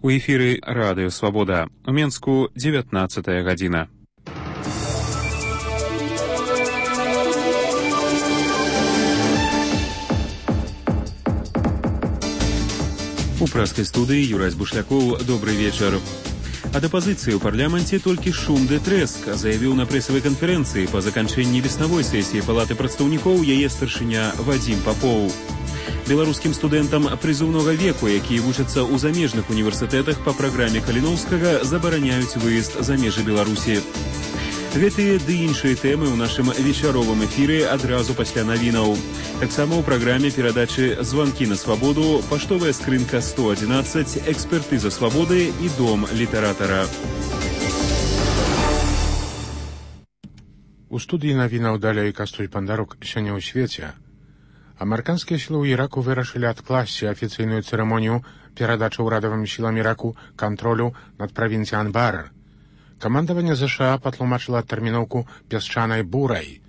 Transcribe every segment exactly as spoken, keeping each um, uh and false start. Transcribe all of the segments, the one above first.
У эфіры Радыё Свабода. У Менску дзевятнаццатая гадзіна. У пражскай студыі Юрась Бушлякоў. Добрый вечар. Ад апазіцыі ў парламенце толькі шум ды трэск, заявіў на прэсавай канферэнцыі па заканчэнні веснавой сесіі Палаты прадстаўнікоў яе старшыня Вадзім Папоў. Беларускім студэнтам прызыўнога веку, якія вучацца ў замежных універсітэтах па праграме Каліноўскага, забараняюць выезд за межы Беларусі. Гэтыя ды іншыя тэмы ў нашым вечаровым эфіры адразу пасля навінаў. Таксама ў праграме перадачы «Званкі на свабоду», паштовая скрынка сто адзінаццаць, экспертыза свабоды і дом літаратара. У студыі навінаў далей Кастуль Пандарук. Сёння ў свеце. Амерыканскія сілы ў Іраку вырашылі адкласці афіцыйную цырымонію перадачы ўрадавым сілам Іраку кантролю над правінцыяй Анбар. Камандаванне ЗША патлумачыла тэрміноўку пясчанай бурай.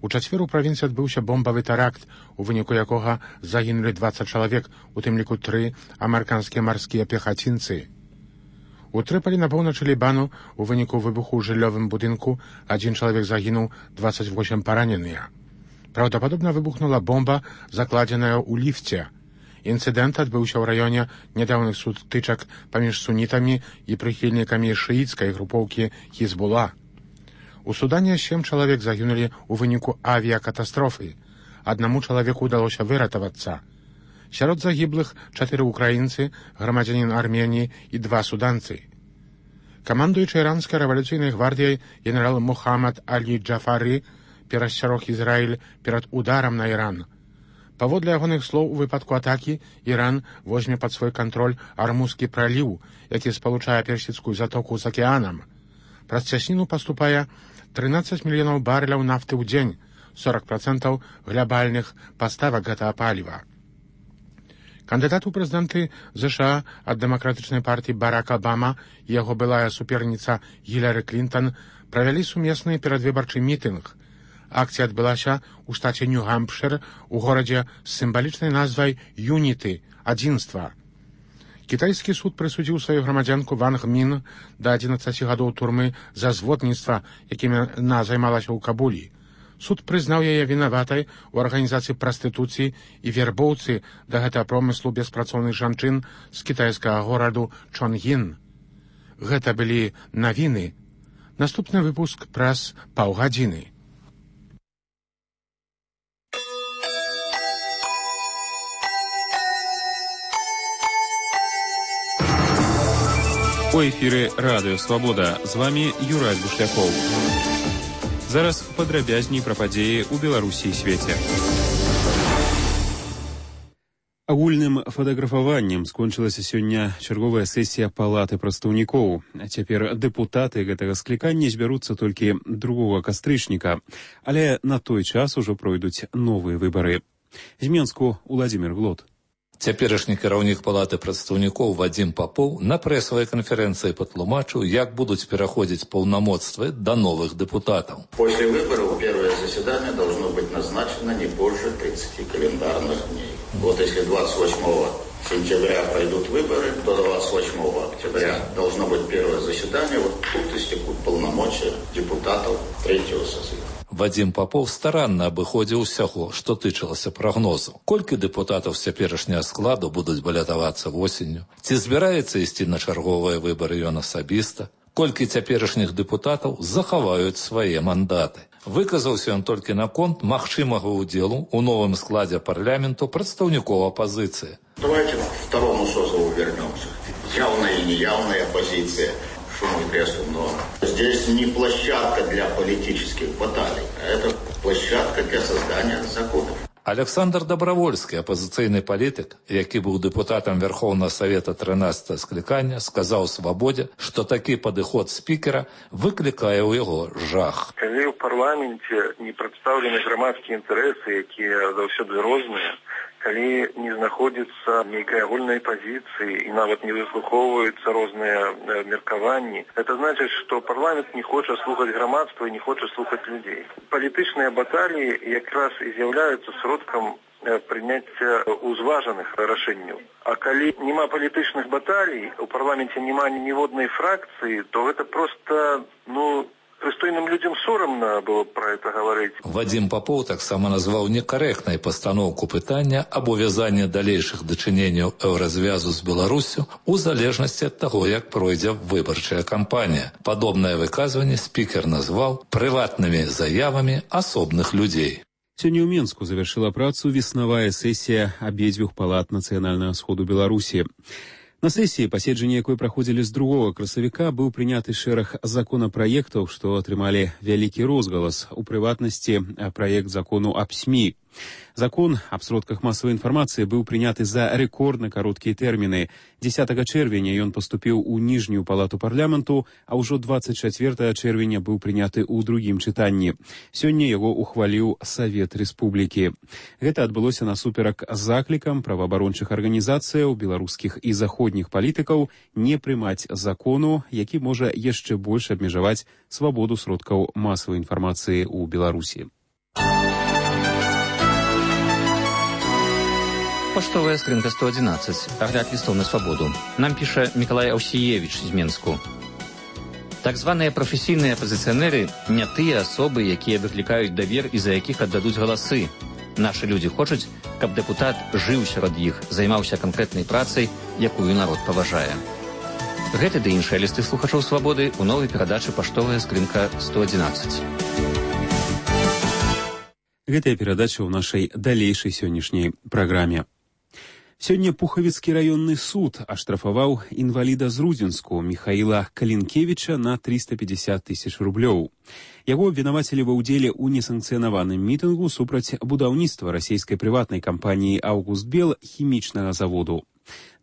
У чацвер у правінцыі адбыўся бомбавы тэракт, у выніку якога загінулі дваццаць чалавек, у тым ліку тры амерыканскія марскія пехацінцы. У Трыполі на поўначы Лібану у выніку выбуху ў жыллёвым будынку адзін чалавек загінуў, дваццаць восем параненыя. Праўдападобна выбухнула бомба, закладзеная ў ліфце. Інцыдэнт адбыўся ў раёне нядаўных сутычак паміж сунітамі і прыхільнікамі шыіцкай групоўкі Хізбула. У Судане сем чалавек загінулі ў выніку авіякатастрофы. Аднаму чалавеку ўдалося выратавацца. Сярод загіблых чатыры украінцы, грамадзянін Арменіі і два суданцы. Камандуючы іранскай рэвалюцыйнай гвардыяй генерал Мухаммад Алі Джафары перасцярог Ізраіль перад ударам на Іран. Паводле ягоных слоў, у выпадку атакі Іран возьме пад свой кантроль Армузскі праліў, які спалучае персідскую затоку з акіянам. Праз цясніну паступае трынаццаць мільёнаў барэляў нафты ў дзень, сорок працэнтаў глябальных паставак гэтага паліва. Кандыдат у прэзідэнты ЗША ад дэмакратычнай партыі Барак Абама і яго былая суперніца Гіляры Клінтон правялі сумесны перадвыбарчы мітынг. Акцыя адбылася ў штаце Нью-Гампшыр у горадзе з сімвалічнай назвай «Юніты» – «Адзінства». Кітайскі суд прысудзіў сваю грамадзянку Ван Гмін да адзінаццаці гадоў турмы за зводніцтва, якім яна займалася ў Кабулі. Суд прызнаў яе вінаватай у арганізацыі прастытуцыі і вербоўцы да гэтага промыслу беспрацоўных жанчын з кітайскага гораду Чонгін. Гэта былі навіны. Наступны выпуск праз паўгадзіны. У эфіры Радыё Свабода. З вамі Юрась Бушлякоў. Зараз падрабязней пра падзеі ў Беларусі і свеце. Агульным фатаграфаваннем скончылася сёння чарговая сесія Палаты прадстаўнікоў. Цяпер дэпутаты гэтага склікання збяруцца толькі другога кастрычніка, але на той час ужо пройдуць новыя выбары. З Менску Уладзімір Глот. Цяперашні кіраўнік Палаты прадстаўнікоў Вадзім Папоў на прэсавай канферэнцыі патлумачыў, як будуць пераходзіць паўнамоцтвы да новых депутатов. После выборов первое заседание должно быть назначено не позже тридцати календарных дней. Вот если двадцать восьмого сентября пройдут выборы, то двадцать восьмого октября должно быть первое заседание. Вот тут истекут полномочия депутатов третьего созыва. Вадзім Папоў старанна абыходзіў усяго, што тычылася прагнозу. Колькі дэпутатаў з цяперашняга складу будуць балятавацца восенню? Ці збіраецца ісці на чарговыя выбары ён асабіста? Колькі цяперашніх дэпутатаў захаваюць свае мандаты? Выказаўся ён толькі наконт магчымага ўдзелу ў новым складзе парламенту прадстаўнікоў апазіцыі. Давайте к второму созыву вернемся. Явная и неявная оппозиция. Но здесь не площадка для политических баталий, а это площадка для создания законов. Александр Добровольскі, апозіцыйны палітык, які быў дэпутатам Верховнага Савета трынаццатага склікання, сказаў Свабодзе, што такі падыход спікера выклікае ў яго жах. Калі ў парламенце не прадстаўлены грамадскія інтарэсы, якія заўсёды розныя, калі не знаходзіцца нейкай агульнай пазіцыі і нават не выслухоўваюцца розныя меркаванні, это значыць, што парламент не хоча слухаць грамадства і не хоча слухаць людзей. Палітычныя баталіі якраз і з'яўляюцца сродкам прыняцця узважаных рашэнняў. А калі няма палітычных баталій, у парламенце няма ніводнай фракцыі, то гэта проста, ну, прыстойным людям сорамна было про это говорить. Вадим Попов таксама назваў некарэктнай пастаноўку пытання аб увязанні далейшых дачыненняў еўразвязу з Беларусю у залежнасці ад таго, як пройдзе выбарчая кампанія. Падобнае выказванне спікер назваў прыватнымі заявамі асобных людзей. Сёння ў Менску завяршыла працу веснавая сесія абедзвюх палат нацыянальнага сходу Беларусі. На сессии, паседжанне якой праходзілі з другога красавіка, быў прыняты шэраг законапраектаў, што атрымалі вялікі розгалас, у прыватнасці праект закону аб СМІ. Закон аб сродках масавай інфармацыі быў прыняты за рэкордна кароткія тэрміны. дзесятага чэрвеня ён паступіў у ніжнюю палату парламенту, а ўжо дваццаць чацвёртага чэрвеня быў прыняты ў другім чытанні. Сёння яго ухваліў Савет Рэспублікі. Гэта адбылося насуперак заклікам праваабарончых арганізацыяў, беларускіх і заходніх палітыкаў не прымаць закону, які можа яшчэ больш абмежаваць свабоду сродкаў масавай інфармацыі ў Беларусі. Поштовая скринка сто одиннадцать. Огляд листов на свободу. Нам пишет Миколай Аусиевич из Менску. Так званыя прафесійныя апозіцыянеры не тыя асобы, якія выклікаюць давер і за якіх аддадуць галасы. Нашы людзі хочуць, каб дэпутат жыў сярод іх, займаўся канкрэтнай працай, якую народ паважае. Гэты ды іншыя лісты слухачоў свабоды ў новай перадачы «Паштовая скринка сто одиннадцать». Гэтая перадача ў нашай далейшай сённяшняй праграме. Сёння Пухавіцкі раённы суд аштрафаваў інваліда з Рудзенску Міхаіла Калінкевіча на триста пятьдесят тысяч рублёў. Яго абвінавацілі ва ўдзеле ў несанкцыянаваным мітынгу супраць будаўніцтва расійскай прыватнай кампаніі «Аўгустбел» хімічнага заводу.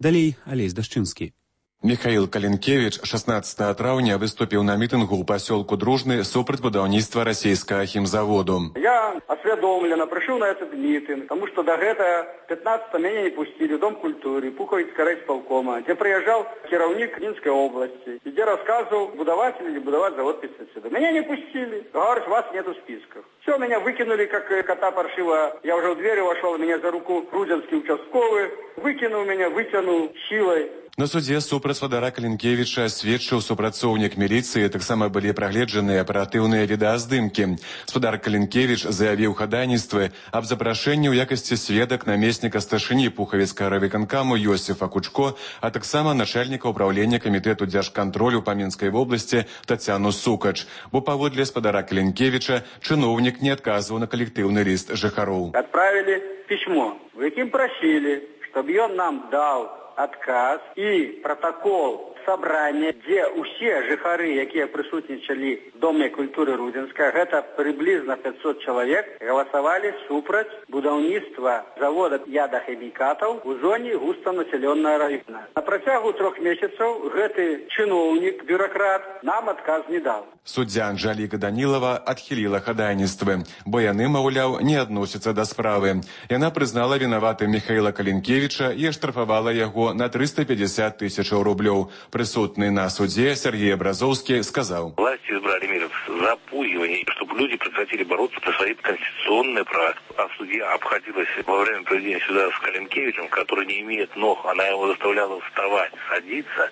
Далей Алесь Дашчынскі. Михаил Калинкевич шестнадцатого траўня выступил на митингу у поселку Дружный супраць будаўніцтва российского химзаводу. Я осведомленно пришел на этот митинг, потому что до этого пятнадцатого меня не пустили в Дом культуры, Пуховицкого райисполкома, где приезжал кіраўнік Минской области, где рассказывал, будовать или не будовать завод пестицидов. Меня не пустили. Говорят, вас нету в списках. Все, меня выкинули, как кота паршиво. Я уже в двери вошел, меня за руку Рудзенский участковый выкинул меня, вытянул силой. На суде супраць Вадара Калінкевіча сведчыў супрацоўнік міліцыі, таксама былі прагледжаныя аператыўныя відэаздымкі. Спадар Калінкевіч заявіў хадайніцтвы аб запрашэнні ў якасці сведак намесніка старшыні Пухавіцкага райвыканкаму Йосіфа Кучко, а таксама начальніка ўправлення камітэту дзяржкантролю па Мінскай вобласці Тацяну Сукач. Бо паводле спадара Калінкевіча чыноўнік не адказваў на калектыўны ліст жыхароў. Отправили письмо, в якім просили, чтобы ён нам дал отказ и протокол собрания, где все жыхары, якія присутнічалі в Доме культуры Рудзенска, гэта приблизно пятьсот человек, голосовали супраць будаўніцтва завода ядахімікатаў у зоне густанаселенного района. На працягу трех месяцев гэты чыноўнік, бюрократ, нам отказ не дал. Суддзя Анжаліка Данілава адхіліла хадайніцтвы, бо яны, маўляў, не адносяцца да справы. Яна прызнала вінаватым Михаіла Калінкевіча і аштрафавала яго на триста пятьдесят тысяч рублёў. Присутный на суде Сергей Образовский сказал: власти избрали меры запугивания, чтобы люди прекратили бороться за свои конституционные права. А судья обходилась во время проведения суда с Калинкевичем, который не имеет ног, она его заставляла вставать, садиться.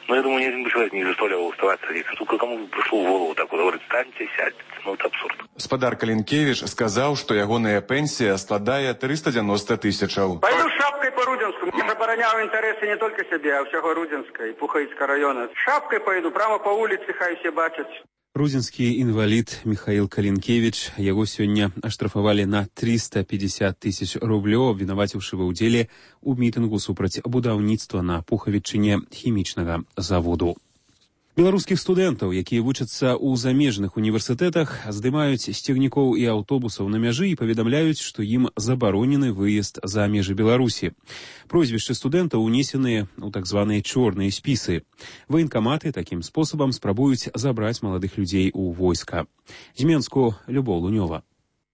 Но я думаю, ни один человек не заставлял его вставать, садиться. Только кому пришло в голову так вот, говорит, встаньте, сядьте. Ну, это абсурд. Спадар Калінкевіч сказал, что ягоная пенсия складае триста девяносто тысячаў. Пойду шапкой по Рудзенску. Я обороняю интересы не только себе, а всего Рудзенска и Пуховицкого района. Шапкой пойду, прямо по улице, хай все бачат. Рудзенскі інвалід Михаил Калінкевіч, яго сёння аштрафавалі на триста пятьдесят тысяч рублёў, абвінаваціўшы ва ўдзеле ў мітынгу супраць будаўніцтва на Пухавічыне хімічнага заводу. Беларускіх студэнтаў, якія вучацца ў замежных універсітэтах, здымаюць з цягнікоў і аўтобусаў на мяжы і паведамляюць, што ім забаронены выезд за межы Беларусі. Прозвішчы студэнтаў унесеныя ў так званыя чорныя спісы. Ваенкаматы такім спосабам спрабуюць забраць маладых людзей у войска. З Менску Любоў Лунёва.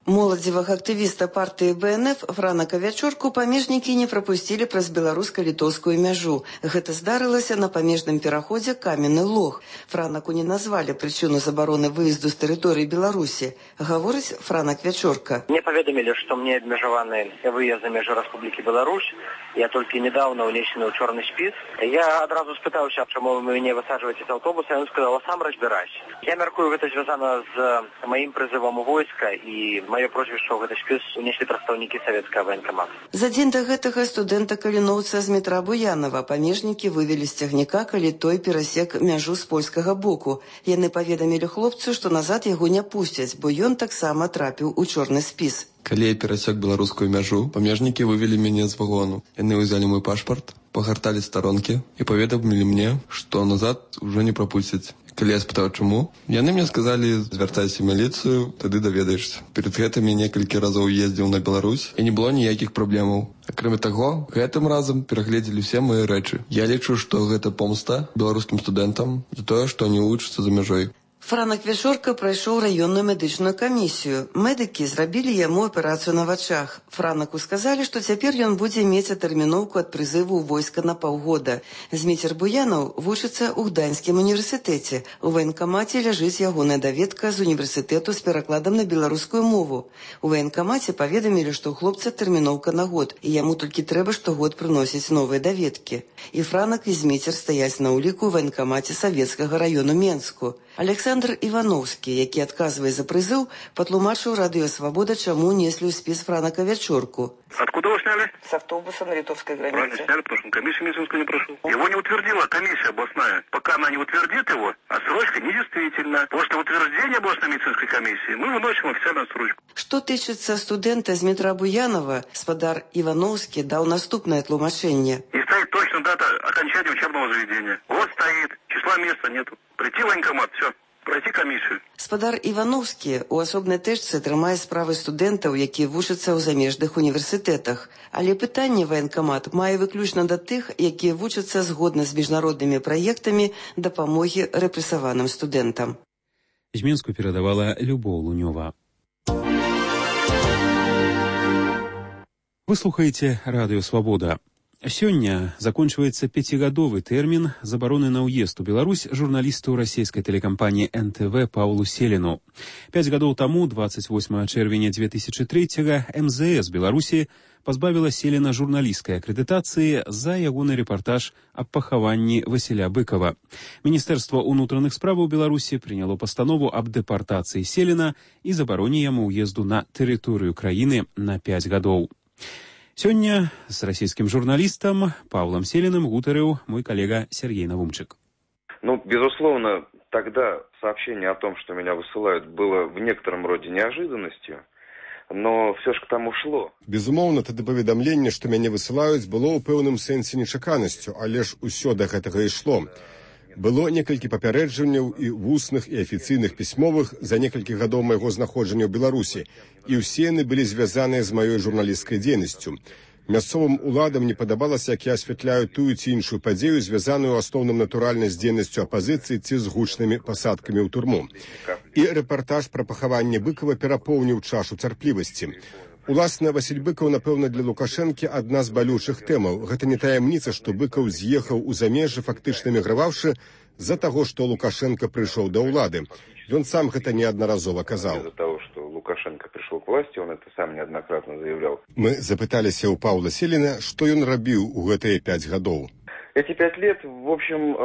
Моладзевага актывіста партыі бэ эн эф Франака Вячорку памежнікі не прапусцілі праз беларуска-літоўскую мяжу. Гэта здарылася на памежным пераходзе Каменны Лог. Франаку не назвалі прычыну забароны выезду з тэрыторыі Беларусі. Гаворыць Франак Вячорка. Мне паведамілі, што мне абмежаваны выезд за межы Рэспублікі Беларусь. Я толькі недавно унесены ў чорны спіс. Я адразу спытаўся, чаму вы мяне высаджваеце з аўтобуса, ён сказаў: сам разбірайся. Я мяркую, гэта звязана з маім прызывам у войска, і маё прозвішча ў гэты спіс унеслі прадстаўнікі савецкага ваенкамата. За дзень да гэтага студэнта-каліноўца з метра Буянова памежнікі вывелі з цягніка, калі той перасек мяжу з польскага боку. Яны паведамілі хлопцу, што назад яго не пусцяць, бо ён таксама трапіў у чорны спіс. Калі я перасек беларускую мяжу, памежнікі вывелі мяне з вагону. Яны ўзялі мой пашпарт, пагарталі старонкі і паведамілі мне, што назад ужо не прапусцяць. Калі я спытаў, чаму, яны мне сказалі: звяртайся ў міліцыю, тады даведаешся. Перад гэтым я некалькі разоў ездзіў на Беларусь, і не было ніякіх праблемаў. Акрамя таго, гэтым разам перагледзелі ўсе мае рэчы. Я лічу, што гэта помста беларускім студэнтам за тое, што не вучацца за мяжой. Франак Вячорка прайшоў раённую медычную камісію. Медыкі зрабілі яму аперацыю на вачах. Франаку сказалі, што цяпер ён будзе мець атэрміноўку ад прызыву ў войска на паўгода. Зміцер Буянаў вучыцца ў Гданьскім універсітэце. У ваенкамаце ляжыць ягоная даведка з універсітэту з перакладам на беларускую мову. У ваенкамаце паведамілі, што ў хлопца тэрміноўка на год, і яму толькі трэба штогод прыносіць новыя даведкі. І Франак, і Зміцер стаяць на ўліку ў ваенкамаце савецкага раёну Менску. Александр Івановскі, які адказвае за прызыў, патлумачыў Радыё Свабода, чаму неслі ў спіс Франака Вячорку. Откуда вы сняли? С автобуса на литовской границе. Правильно сняли, потому что комиссия медицинскую не прошел. Его не утвердила комиссия областная. Пока она не утвердит его, отсрочка недействительна. После утверждения областной медицинской комиссии мы выносим официальную отсрочку. Что тычыцца студэнта з метра Буянова, спадар Івановскі даў наступнае тлумачэнне. И стоит точно дата окончания учебного заведения. Вот стоит, числа места нету. Прийти в военкомат, все. Пройти камісію. Спадар Івановскі у асобнай тэшцы трымае справы студэнтаў, якія вучацца ў замежных універсітэтах. Але пытанне ваенкамат мае выключна да тых, якія вучацца згодна з міжнароднымі праектамі дапамогі рэпрэсаваным студэнтам. З Менску перадавала Любоў Лунёва. Вы слухаеце Радыё Свабода. Сёння закончваецца пяцігадовы тэрмін забароны на ўезд у Беларусь журналісту расійскай тэлекампаніі эн тэ вэ Паўлу Селіну. Пяць гадоў таму, двадцать восьмага чэрвеня две тысячи третьего, эм зэ эс Беларусі пазбавіла Селіна журналісцкай акрэдытацыі за ягоны рэпартаж аб пахаванні Васіля Быкова. Міністэрства ўнутраных справаў Беларусі прыняло пастанову аб дэпартацыі Селіна і забароне яму ўезду на тэрыторыю краіны на пяць гадоў. Сёння с российским журналистом Павлом Селиным гутарыў мой коллега Сергей Навумчик. Ну, безусловно, тогда сообщение о том, что меня высылают, было в некотором роде неожиданностью, но все ж к тому шло. Безумоўна, тады паведамленне, што мяне высылаюць, было ў пэўным сэнсе нечаканасцю, але ж усё да гэтага ішло. Было некалькі папярэджанняў і вусных, і афіцыйных пісьмовых за некалькі гадоў майго знаходжання ў Беларусі, і ўсе яны былі звязаныя з маёй журналісцкай дзейнасцю. Мясцовым уладам не падабалася, як я асвятляю тую ці іншую падзею, звязаную ў асноўным натуральна з дзейнасцю апазіцыі ці з гучнымі пасадкамі ў турму. І рэпартаж пра пахаванне Быкова перапоўніў чашу цярплівасці. Уласна, Васіль Быкаў, напэўна, для Лукашэнкі адна з балючых тэмаў. Гэта не таямніца, што Быкаў з'ехаў у замежжы, фактычна міграваўшы з-за таго, што Лукашенко прыйшоў да ўлады. Ён сам гэта неаднаразова казаў. Из-за того, что Лукашенко пришел к власти, он это сам неоднократно заявлял. Мы запыталіся ў Паўла Селіна, што ён рабіў у гэтыя пяць гадоў. Эти пять лет, в общем,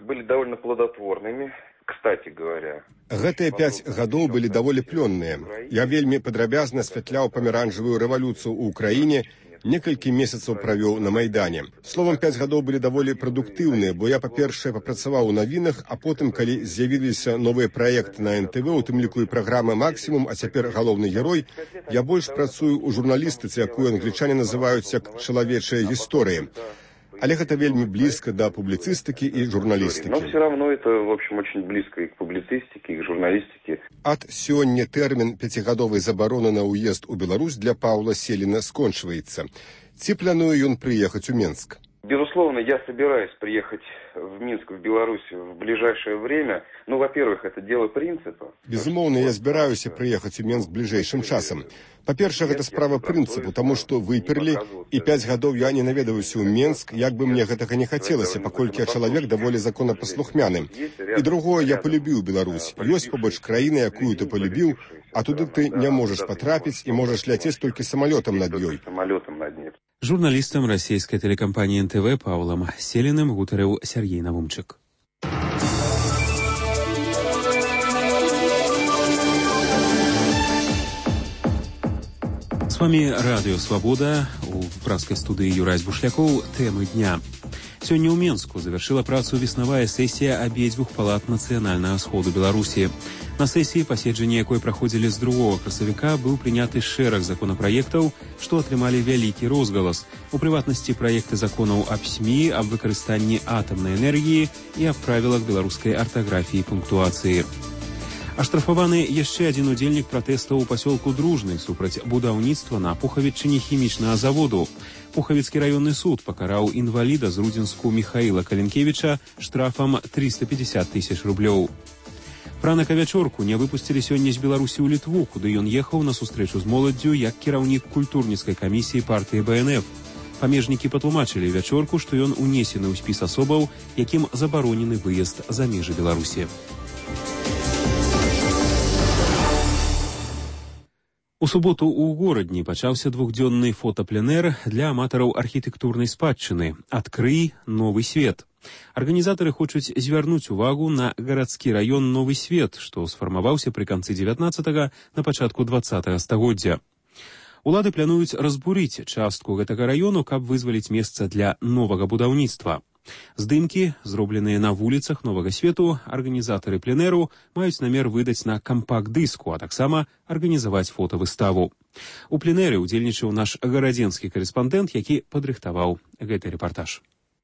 были довольно плодотворными. Кстати говоря, гэтыя пяць гадоў былі даволі плённыя. Я вельмі падрабязна асвятляў памяранжавую рэвалюцыю ў Украіне, некалькі месяцаў правёў на Майдане. Словам, пяць гадоў былі даволі прадуктыўныя, бо я, па-першае, папрацаваў у навінах, а потым, калі з'явіліся новыя праекты на эн тэ вэ, у тым ліку і праграма «Максімум», а цяпер галоўны герой, я больш працую ў журналістыцы, якую англічане называюць як чалавечая гісторыя. Але гэта вельмі блізка да публіцыстыкі і журналістыкі. Но все равно это, в общем, очень близко и к публицистике, и к журналистике. Ад сёння тэрмін пяцігадовай забароны на ўезд у Беларусь для Паўла Селіна скончваецца. Ці плануе ён прыехаць у Менск? Безусловно, я собираюсь приехать в Минск, в Беларусь в ближайшее время. Ну, во-первых, это дело принципа. Безумоўна, я збіраюся прыехаць у Мінск бліжэйшым часам. Па-першае, гэта справа прынцыпу, таму што выперлі, і пяць гадоў я не наведаўся ў Мінск, як бы мне гэтага не хацелася, паколькі я чалавек даволі законапаслухмяны. І другое, я полюбіў Беларусь. Ёсць побач краіна, якую ты полюбіў, а туды ты не можаш патрапіць і можаш ляцець толькі самалётам над ёй. Журналістам расійскай тэлекампаніі эн тэ вэ Паўлам Селіным гутарыў Сергей Навумчык. С вами Радио Свобода. У пражской студии Юрай Бушляков. Темы дня. Сегодня у Менску завершила працу веснавая сессия обеих палат Национального сходу Беларуси. На сессии, паседжанне якой проходили с другого красавіка, был приняты шэраг законопроектов, что атрымали вялікі розгалас. У приватности проекты законов об СМИ, об выкарыстанні атомной энергии и об правилах белорусской ортографии и пунктуации. Аштрафаваны яшчэ адзін удзельнік пратэстаў у пасёлку Дружны супраць будаўніцтва на Пухавічыне хімічнага заводу. Пухавіцкі раённы суд пакараў інваліда з Рудзінску Михаіла Каленкевіча штрафам триста пятьдесят тысяч рублёў. Франака Вячорку не выпусцілі сёння з Беларусі ў Літву, куды ён ехаў на сустрэчу з моладдзю як кіраўнік культурніцкай камісіі партыі бэ эн эф. Памежнікі патлумачылі Вячорку, што ён унесены ў спіс асобаў, якім забаронены выезд за межы Беларусі. У суботу ў горадні пачаўся двухдзённы фотапленэр для аматараў архітэктурнай спадчыны «Адкрый новы свет». Арганізатары хочуць звярнуць увагу на гарадскі раён Новы Свет, што сфармаваўся пры канцы дзевятнаццатага на пачатку дваццатага стагоддзя. Улады плануюць разбурыць частку гэтага раёну, каб вызваліць месца для новага будаўніцтва. Здымкі, зробленыя на вуліцах Новага Свету, арганізатары пленэру маюць намер выдаць на кампакт-дыску, а таксама арганізаваць фотавыставу. У пленэры удзельнічаў наш гарадзенскі карэспандэнт, які падрыхтаваў гэты рэпартаж.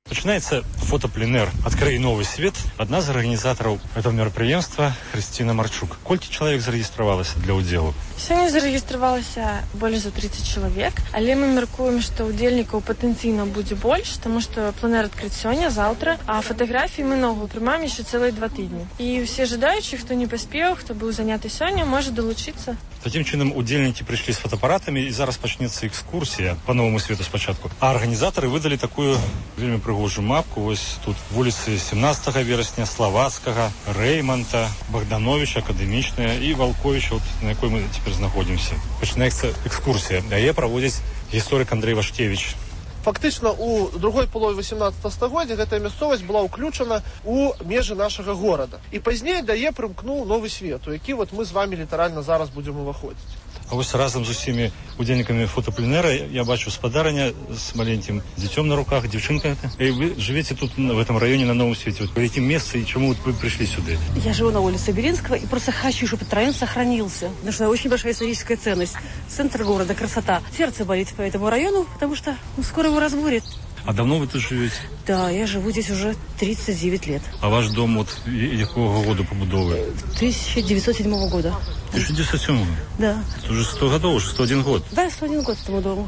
Начинается фотопленэр «Открой новый свет». Одна из организаторов этого мероприятия Христина Марчук. Колькі человек зарегистрировалось для удзелу? Сегодня зарегистрировалось более за тридцать человек, але мы мяркуем, что удзельников потенциально будет больше, потому что пленэр открыт сегодня, завтра, а фотографии мы новые принимаем еще целые два тыдні. И все желающие, кто не поспел, кто был занят сегодня, может долучиться. Таким чином, удзельники пришли с фотоаппаратами, и зараз почнется экскурсия по Новому Свету спочатку. А организаторы выдали такую вельми прыгожую мапку. Вот тут вулицы семнадцатого вересня, Словацкого, Реймонта, Богдановича, Академичная и Волковича, вот, на якой мы теперь находимся. Починається экскурсия. А я проводит историк Андрей Вашкевич. Фактично, у другой половине восемнадцатого стагоддзя эта мясцовасць была ўключана у межы нашага горада. І пазней да яе прымкнуў Новы Свет, у які вот мы з вами літаральна зараз будем уваходзіць. А ось разом з усімі удзельнікамі фотопленера я бачу спадарня з маленьким дзіцём на руках, дзяўчынка. И вы живете тут, в этом районе, на Новом Свете. Вот в каком месте и чему вы пришли сюда? Я живу на улице Беринского и просто хочу, чтобы этот район сохранился. Потому что очень большая историческая ценность. Центр города, красота. Сердце болит по этому району, потому что ну, скоро его разбурят. А давно вы тут живете? Да, я живу здесь уже тридцать девять лет. А ваш дом вот якого года побудовы? тысяча девятьсот седьмого года. тысяча девятьсот седьмого? Да. Это уже сто годов, уже сто один год. Да, сто один год этому дому.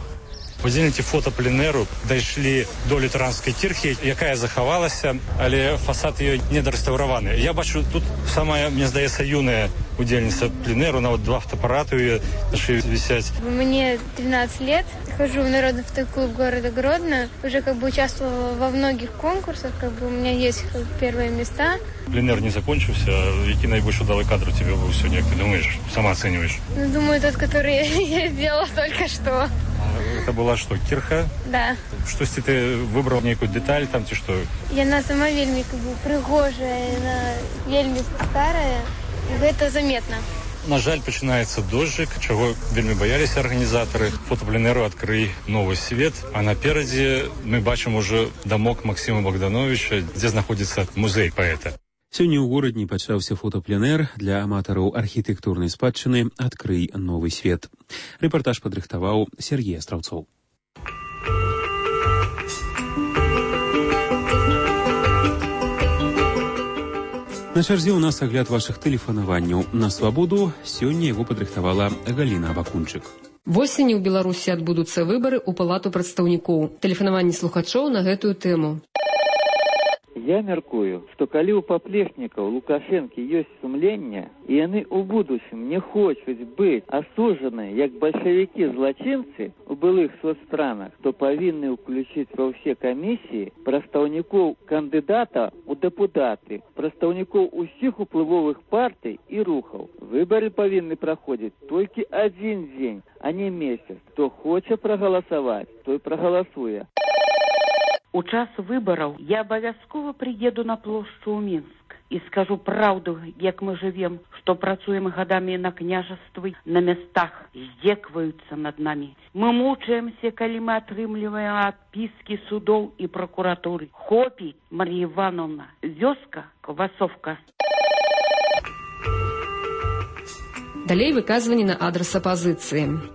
Удзельнікі фотопленеру дайшлі до лютэранскай кірхі, якая захавалася, але фасад ее недарэстаўраваны. Я бачу, тут самая, мне здаецца, юная удзельніца пленеру, нават два фотоапараты у ее на шее висять. Мне тринадцать лет, хожу в народный фотоклуб города Гродно, уже как бы участвовала во многих конкурсах, как бы у меня есть первые места. Пленер не закончился, який найбольш удалый кадр у тебя был сегодня, как ты думаешь, сама оцениваешь? Ну, думаю, тот, который я сделала только что. Это была что, кирха? Да. Что если ты выбрал некую деталь там, ты что? Яна сама вельми как бы пригожая, она вельми старая, и это заметно. На жаль, починаецца дождик, чего вельми боялись организаторы. Фотопленеру «Открый новый свет». А напереди мы бачим уже домок Максима Богдановича, где находится музей поэта. Сёння ў горадні пачаўся фотапленэр для аматараў архітэктурнай спадчыны «Адкрый новы свет». Рэпартаж падрыхтаваў Сергей Астраўцоў. На чарзе ў нас агляд вашых тэлефанаванняў на свабоду. Сёння яго падрыхтавала Галіна Абакунчык. Восенню ў Беларусі адбудуцца выбары ў палату прадстаўнікоў. Тэлефанаванне слухачоў на гэтую тэму. Я мяркую, што калі ў паплечнікаў Лукашэнкі ёсць сумленне, і яны ў будучым не хочуць быць асуджаныя як бальшавікі-злачынцы ў былых соцстранах, то павінны ўключыць ва ўсе камісіі прадстаўнікоў кандыдата ў дэпутаты, прадстаўнікоў усіх уплывовых партый і рухаў. Выбары павінны праходзіць толькі адзін дзень, а не месяц. Хто хоча прагаласаваць, той прагаласуе. У час выбараў я абавязкова прыеду на плошчу ў Мінск і скажу праўду, як мы жывем, што працуем гадамі на княжаствы, на мястах, здзекваюцца над намі. Мы мучаемся, калі мы атрымліваем адпіскі судоў і пракуратуры. Хопі, Марія Івановна, вёска, квасовка. Далей выказванні на адрас апазіцыі.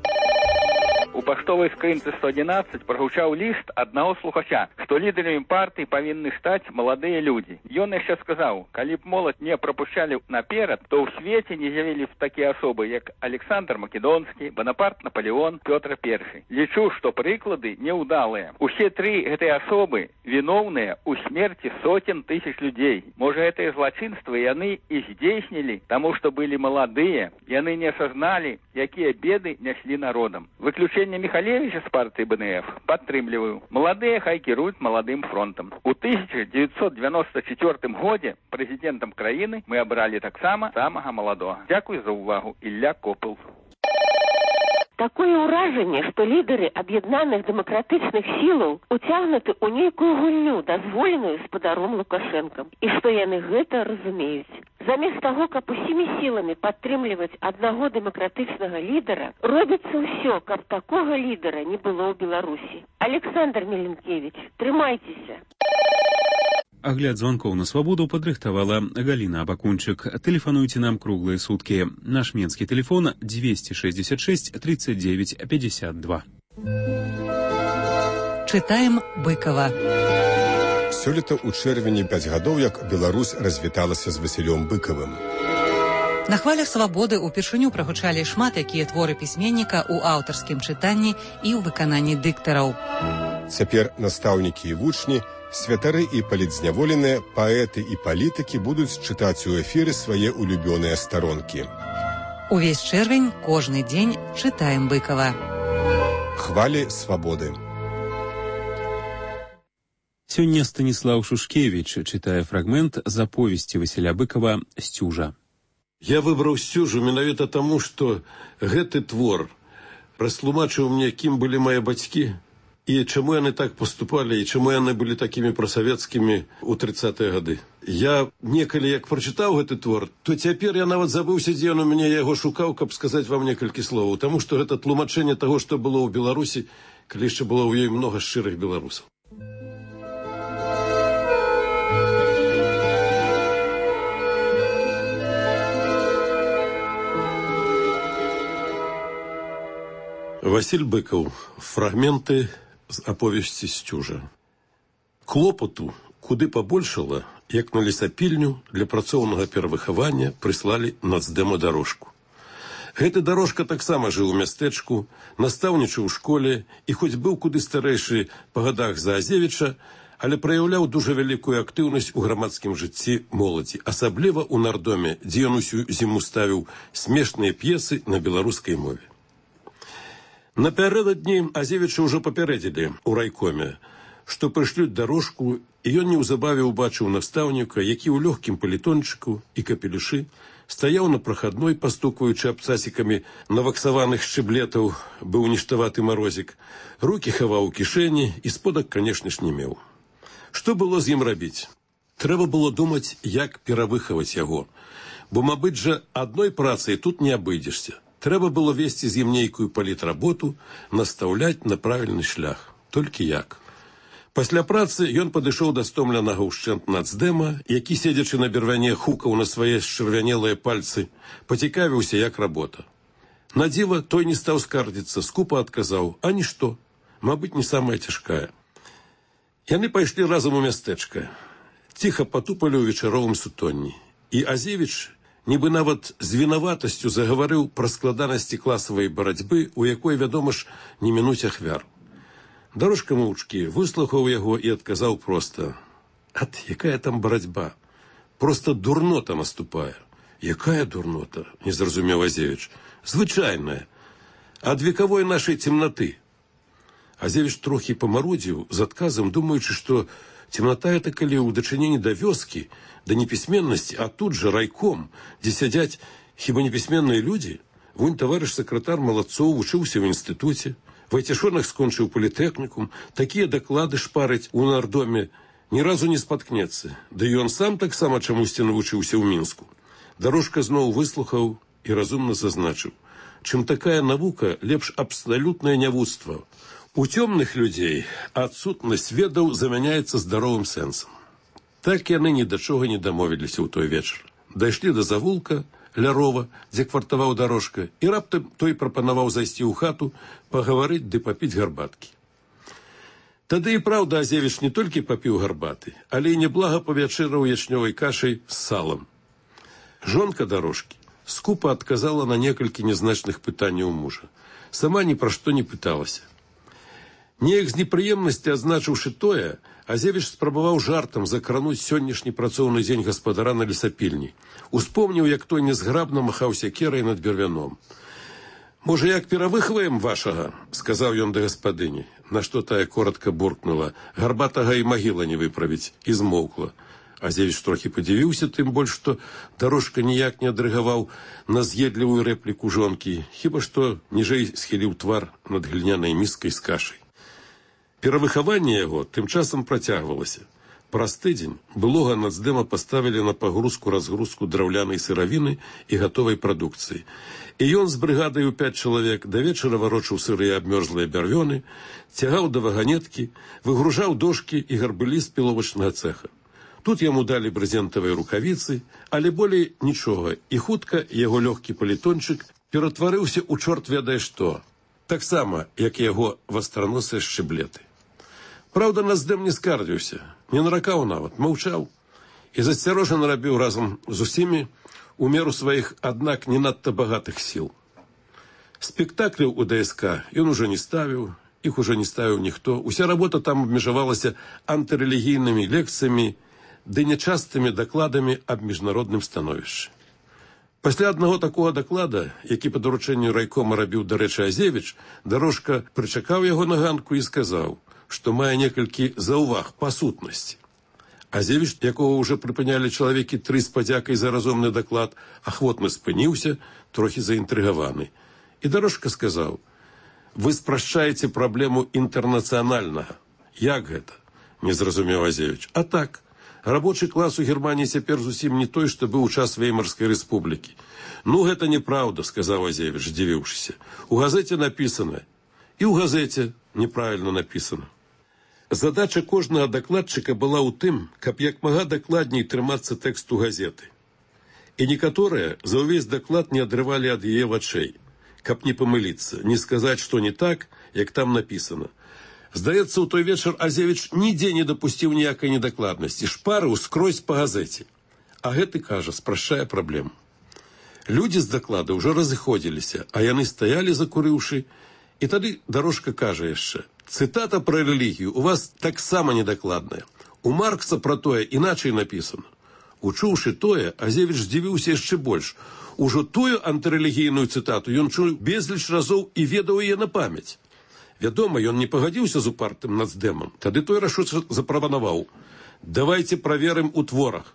У паштовай скрынцы сто адзінаццаць прагучаў ліст аднаго слухача, што лідарамі партыі павінны стаць маладыя людзі. Ён яшчэ сказаў, калі б моладзь не прапушчалі наперад, то ў свеце не з'явілі б такія асобы, як Александр Македонскі, Бонапарт Наполеон, Пётр Першы. Лічу, што прыклады неўдалыя. Усе тры гэтыя асобы віноўныя ў смерці соцень тысяч людзей. Можа, гэтыя злачынствы яны і здзейснілі, таму што былі маладыя, яны не асазналі, якія беды няслі народам. Выключэнне Михалевича з партыі бэ эн эф падтрымліваю. Маладыя хай кіруюць маладым фронтам. У тысяча дзевяцьсот девяносто четвёртым годзе прэзідэнтам краіны мы абралі таксама самага маладога. Дзякуй за ўвагу. Ілля Копыл. Такое ўражанне, што лідары аб'яднаных дэмакратычных сілаў уцягнуты ў нейкую гульню, дазволеную спадаром Лукашэнкам, і што яны гэта разумеюць. Замест таго, каб усімі сіламі падтрымліваць аднаго дэмакратычнага лідара, робіцца ўсё, каб такога лідара не было ў Беларусі. Александр Меленкевич, трымайцеся. Агляд звонкоў на свабоду падрыхтавала Галіна Абакунчык. Тэлефануйце нам круглыя суткі. Наш менскі тэлефон двести шестьдесят шесть тридцать девять пятьдесят два. Чытаем Быкова. Сёлета ў чэрвені пяць гадоў, як Беларусь развіталася з Васілём Быкавым. На хвалях свабоды ўпершыню прагучалі шмат якія творы пісьменніка ў аўтарскім чытанні і ў выкананні дыктараў. Цяпер настаўнікі і вучні, святары і палітзняволеныя, паэты і палітыкі будуць чытаць у эфіры свае улюбёныя старонкі. Увесь чэрвень, кожны дзень чытаем Быкава. Хвалі свабоды. Сёння Станіслаў Шушкевіч чытае фрагмент з аповесці Васіля Быкава «Сцюжа». Я выбраў «Сцюжу» менавіта таму, што гэты твор растлумачыў мне, кім былі мае бацькі, і чаму яны так поступалі, і чаму яны былі такімі прасавецкімі ў трыццатыя гады. Я некалі, як прачытаў гэты твор, то цяпер я нават забыўся, дзе ён у мяне яго шукаў, каб сказаць вам некалькі словаў, таму што гэта тлумачэнне таго, што было ў Беларусі, калі яшчэ было ў ёй многа шчырых беларусаў. Васіль Быкаў. Фрагменты з аповесці «Сцюжа». Клопату куды пабольшала, як на лесапільню для працоўнага перавыхавання прыслалі нацдэма дарожку. Гэты дарожка таксама жыў у мястэчку, настаўнічаў у школе і хоць быў куды старэйшы па гадах за Азевіча, але праяўляў дужа вялікую актыўнасць у грамадскім жыцці моладзі, асабліва ў нардоме, дзе ён усю зіму ставіў смешныя п'есы на беларускай мове. Напярэдадні Азевіча ўжо папярэдзілі ў райкоме, што прышлюць дарожку, і ён неўзабаве ўбачыў настаўніка, які ў лёгкім палітончыку і капелюшы стаяў на прахадной, пастукваючы абцасікамі наваксаваных шчыблетаў, быў ніштаваты марозік, рукі хаваў у кішэні і сподак, канешне ж, не меў. Што было з ім рабіць? Трэба было думаць, як перавыхаваць яго, бо, мабыць жа, адной працай тут не абыдзешся. Трэба было весці з ім нейкую палітработу, настаўляць на правільны шлях. Толькі як? Пасля працы ён падышоў да стомленага ўшчэнт нацдэма, які, седзячы на бервяне, хукаў на свае счырвянелыя пальцы, пацікавіўся, як работа. На дзіва той не стаў скардзіцца, скупа адказаў: «А нішто, мабыць, не самая цяжкая». Яны пайшлі разам у мястэчка, ціха патупалі ў вечаровым сутонні, і Азевіч нібы нават з вінаватасцю загаварыў пра складанасці класавай барацьбы, у якой, вядома ж, не мінуць ахвяр. Дарожка моўчкі выслухаў яго і адказаў проста: «Ат, якая там барацьба? Проста дурнота наступае». «Якая дурнота?» – не зразумеў Азевіч. «Звычайная. Ад векавой нашай цемнаты». Азевіч трохі памарудзіў з адказам, думаючы, што цемната это калі ў дачыненні да вёскі, да непісьменнасці, а тут жа райком, дзе сядзяць хіба непісьменныя людзі. Вунь таварыш сакратар Малацоў вучыўся ў інстытуце, Вайцяшонак скончыў політэхнікум, такія даклады шпарыць у нардоме ні разу не спаткнецца. Да і ён сам таксама чамусьці навучыўся ў Мінску. Дарожка зноў выслухаў і разумна зазначыў: чым такая навука, лепш абсалютнае нявуцтва. У цёмных людзей адсутнасць ведаў замяняецца здаровым сэнсам. Так яны ні да чога не дамовіліся ў той вечар. Дайшлі да завулка ля рова, дзе квартаваў Дарожка, і раптам той прапанаваў зайсці ў хату, пагаварыць ды папіць гарбаткі. Тады і праўда Азевіч не толькі папіў гарбаты, але і неблага павячэраў ячнёвай кашай з салам. Жонка Дарожкі скупа адказала на некалькі нязначных пытанняў мужа. Сама ні пра што не пыталася. Неяк з непрыемнасці адзначыўшы тое, Азевіч спрабаваў жартам закрануць сённяшні працоўны дзень гаспадара на лесапільні. Успомніў, як той нязграбна махаў сякерай над бервяном. «Можа, як перавыхваем вашага?» – сказаў ён да гаспадыні, на што тая коротка буркнула: «Гарбатага і магіла не выправіць», і змоўкла. Азевіч трохі падзівіўся, тым больш, што Дарожка ніяк не адрыгаваў на з'едлівую рэпліку жонкі, хіба што ніжэй схіліў твар над глінянай міскай з кашай. Перавыхаванне яго тым часам працягвалася. Праз тыдзень былога нацдэма паставілі на пагрузку-разгрузку драўлянай сыравіны і гатовай прадукцыі. І ён з брыгадай у пяць чалавек да вечара варочаў сырыя абмёрзлыя бярвёны, цягаў да ваганеткі, выгружаў дошкі і гарбылі з піловачнага цэха. Тут яму далі брызентавыя рукавіцы, але болей нічога, і хутка яго лёгкі палітончык ператварыўся ў чорт ведае што, таксама, як і яго вастраносыя шчыблеты. Праўда, нацдэм не скардзіўся, не наракаў нават, маўчаў і засцярожана рабіў разам з усімі у меру сваіх, аднак не надта багатых сіл. Спектакляў у ДСК ён ужо не ставіў, іх ужо не ставіў ніхто, уся работа там абмежавалася антырэлігійнымі лекцыямі ды нячастымі дакладамі аб міжнародным становішчы. Пасля аднаго такога даклада, які па даручэнню райкома рабіў, дарэчы, Азевіч, Дарожка прычакаў яго на ганку і сказаў, што мае некалькі заўваг па сутнасці. Азевіч, якого ўжо прыпынялі чалавекі тры з падзякай за разумны даклад, ахвотна спыніўся, трохі заінтрыгаваны. І Дарожка сказаў: «Вы спрашчаеце праблему інтэрнацыянальнага». «Як гэта?» – не зразумеў Азевіч. «А так, рабочы клас у Германії цяпер зусім не той, што быў у час Веймарскай рэспублікі». «Ну, гэта неправда», – сказаў Азевіч, здзівіўшыся. «У газеце напісана». «І ў газеце неправільна напісана». Задача кожнага дакладчыка была ў тым, каб як мага дакладней трымацца тэксту газеты. І некаторыя за ўвесь даклад не адрывалі ад яе вачэй, каб не памыліцца, не сказаць, што не так, як там напісана. Здаецца, у той вечар Азевіч нідзе не дапусціў ніякай недакладнасці, шпарыў скрозь па газеце. А гэты, кажа, спрашчае праблему. Людзі з даклада ўжо разыходзіліся, а яны стаялі, закурыўшы, і тады Дарожка кажа яшчэ: «Цытата пра рэлігію у вас таксама недакладная. У Маркса пра тое іначай напісана». Учуўшы тое, Азевіч здзівіўся яшчэ больш. Ужо тую антырэлігійную цытату ён чуў безліч разоў і ведаў яе на памяць. Вядома, ён не пагадзіўся з упартым нацдэмам. Тады той рашуча запрапанаваў: «Давайце праверым у творах».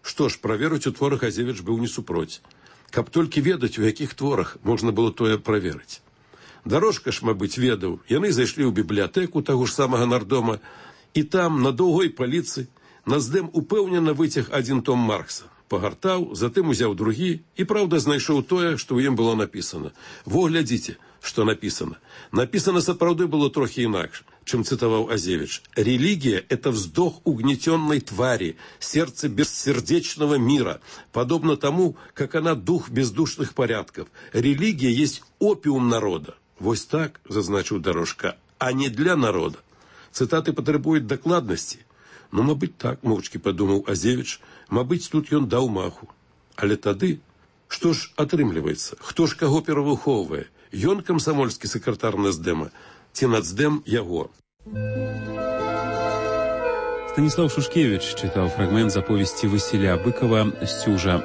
Што ж, праверыць у творах Азевіч быў не супроць. Каб толькі ведаць, у якіх творах можна было тое праверыць. Дарожка ж, мабыць, ведаў. Яны зайшлі ў бібліятэку таго ж самага нардома, і там, на доўгой паліцы, нацдэм упэўнена выцяг адзін том Маркса. Пагартаў, затым узяў другі і, праўда, знайшоў тое, што ў ім было напісана. Во, глядзіце, што напісана. Напісана сапраўды было трохі інакш, чым цытаваў Азевіч. «Религия – это вздох угнетенной твари, сердце бессердечного мира, подобно тому, как она дух бездушных порядков. Религия есть опиум народа». Вось так, зазначыў Дарожка, а не для народа. Цытаты патрабуюць дакладнасці. Ну, мабыць, так, моўчкі падумаў Азевіч, мабыць, тут ён даў маху. Але тады, што ж атрымліваецца? Хто ж каго перавыхоўвае? Ён камсамольскі сакратар Нацдэма ці Нацдэм яго? Станіслав Шушкевич чытаў фрагмент з аповесці Васіля Быкова «Сцюжа».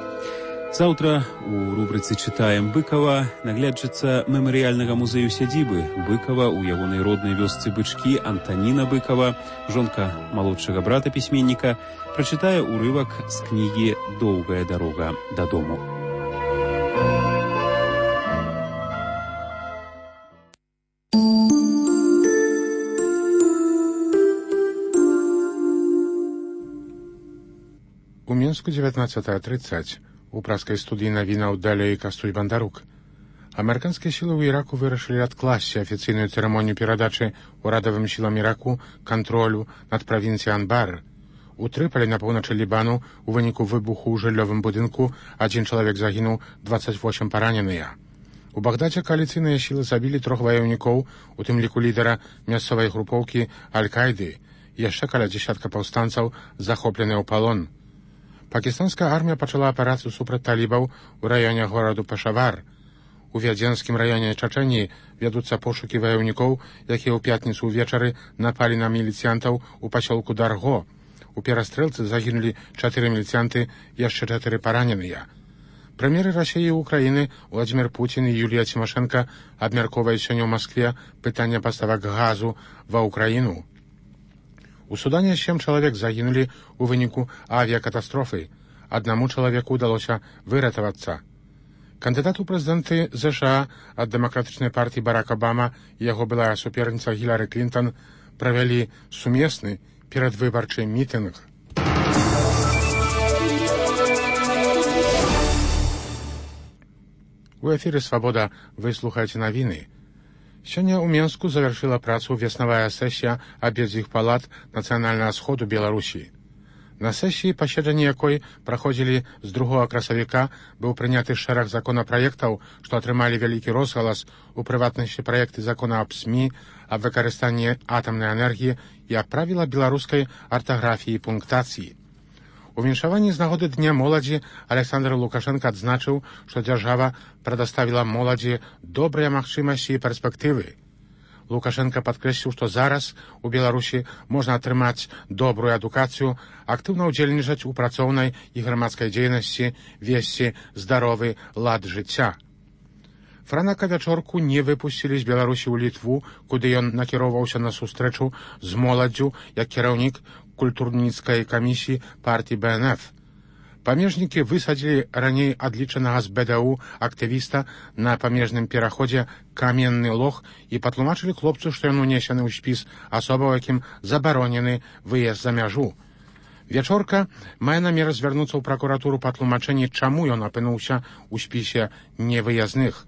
Заўтра у рубрыцы «Чытаем Быкова» наглядчыца мемарыяльнага музею сядзібы Быкова ў ягонай роднай вёсцы Бычкі Антаніна Быкова, жонка малодшага брата пісьменніка, прачытае ўрывак з кнігі «Доўгая дарога дадому». У Мінску дзевятнадцатая тридцать. У праскай студыі навінаў далей Кастуль Бандарук. Амерыканскія сілы ў Іраку вырашылі адкласці афіцыйную цырымонію перадачы урадавым сілам Іраку кантролю над правінцыяй Анбар. У Трыполі на поўначы Лібану у выніку выбуху ў жыллёвым будынку адзін чалавек загінуў, дваццаць восем параненыя. У Багдадзе кааліцыйныя сілы забілі трох ваяўнікоў, у тым ліку лідара мясцовай групоўкі Аль-Кайды. Яшчэ каля дзесятка паўстанцаў захопленыя ў палон. Пакістанская армія пачала аперацыю супраць талібаў у раёне гораду Пешавар. У Вядзенскім раёне Чачэніі вядуцца пошукі ваяўнікоў, якія ў пятніцу ўвечары напалі на міліцыянтаў у пасёлку Дарго. У перастрэлцы загінулі чатыры міліцыянты, яшчэ чатыры параненыя. Прэм'еры Расіі і Украіны Владзімір Пуцін і Юлія Цімашэнка абмяркоўваюць сёння ў Маскве пытанне паставак газу ва Ўкраіну. У Судане сем чалавек загінулі ў выніку авіякатастрофы. Аднаму чалавеку ўдалося выратавацца. Кандыдат у прэзідэнты ЗША ад дэмакратычнай партыі Барак Абама і яго былая суперніца Гілары Клінтон правялі сумесны перадвыбарчы мітынг. У эфіры «Свабода» вы слухаеце навіны. Сёння ў Менску завяршыла працу веснавая сесія абедзвюх палат Нацыянальнага сходу Беларусі. На сесіі, паседжанні якой праходзілі з другога красавіка, быў прыняты шэраг законапраектаў, што атрымалі вялікі розгалас, у прыватнасці праекты закона аб СМІ, аб выкарыстанні атамнай энергіі і аб правілах беларускай артаграфіі і пунктацыі. У віншаванні з нагоды Дня моладзі Александр Лукашенко адзначыў, што дзяржава прадаставіла моладзі добрыя магчымасці і перспектывы. Лукашенко падкрэсліў, што зараз у Беларусі можна атрымаць добрую адукацыю, актыўна ўдзельнічаць у працоўнай і грамадскай дзейнасці, весці здаровы лад жыцця. Франака вячорку не выпусцілі з Беларусі ў Літву, куды ён накіроўваўся на сустрэчу з моладдзю як кіраўнік культурніцкай камісіі партіі Бэ Эн Эф. Памежнікі высадзілі раней адлічанага з Бэ Дэ У актывіста на памежным пераходзе Каменны Лог і патлумачылі хлопцу, што ён унесены ў спіс асобаў, якім забаронены выезд за мяжу. Вячорка мае намер звярнуцца ў пракуратуру па тлумачэнні, чаму ён апынуўся ў спісе невыязных.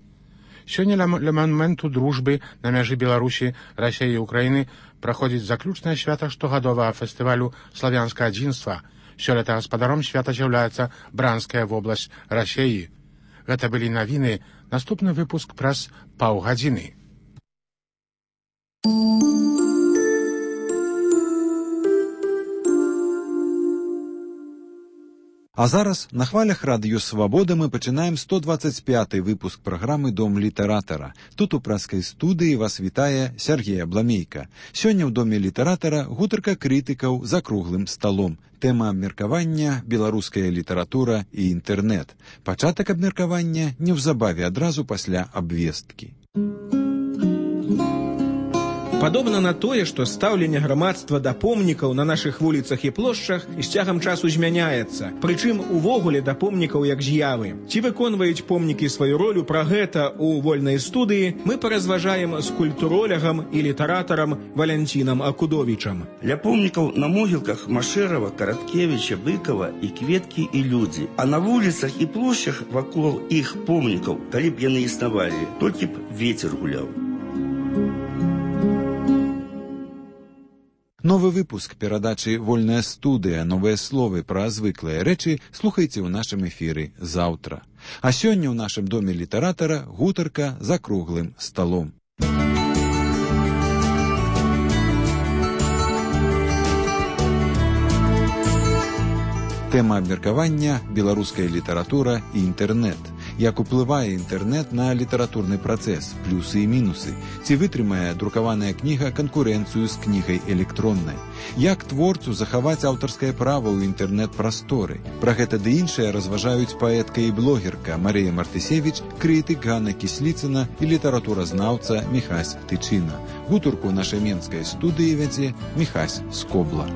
Сёння ля манументу дружбы на мяжы Беларусі, Расіі і Украіны праходзіць заключнае свята штогадовага фестывалю «Славянскае адзінства». Сёлета гаспадаром свята з'яўляецца Бранская вобласць Расіі. Гэта былі навіны. Наступны выпуск праз паўгадзіны. А зараз на хвалях радыё «Свабода» мы пачынаем сто дваццаць пяты выпуск праграмы «Дом літаратара». Тут у праскай студыі вас вітае Сергей Абламейка. Сёння ў Доме літаратара гутарка крытыкаў за круглым сталом. Тэма абмеркавання «Беларуская літаратура і інтэрнэт». Пачатак абмеркавання неўзабаве адразу пасля абвесткі. Падобна на тое, што стаўленне грамадства да помнікаў на нашых вуліцах і плошчах з цягам часу змяняецца. Прычым увогуле да помнікаў як з'явы. Ці выконваюць помнікі сваю ролю, пра гэта ў вольнай студыі мы паразважаем з культуролягам і літаратарам Валянцінам Акудовічам. Ля помнікаў на могілках Машэрава, Караткевіча, Быкова і кветкі і людзі. А на вуліцах і плошчах вакол іх помнікаў, калі б яны існавалі, толькі б вецер гуляў. Новы выпуск перадачы «Вольная студыя. Новыя словы пра звыклыя рэчы» слухайце ў нашым эфіры заўтра. А сёння ў нашым Доме літаратара гутарка за круглым сталом. Тэма абмеркавання беларуская літаратура і інтэрнэт. Як уплывае інтэрнэт на літаратурны працэс, плюсы і мінусы. Ці вытрымае друкаваная кніга канкурэнцыю з кнігай электроннай. Як творцу захаваць аўтарскае права ў інтэрнэт-прасторы. Пра гэта ды іншае разважаюць паэтка і блогерка Марыя Мартысевіч, крытык Ганна Кісліцына і літаратуразнаўца Міхась Тычына. Гутарку нашай менскай студыі вядзе Міхась Скобла.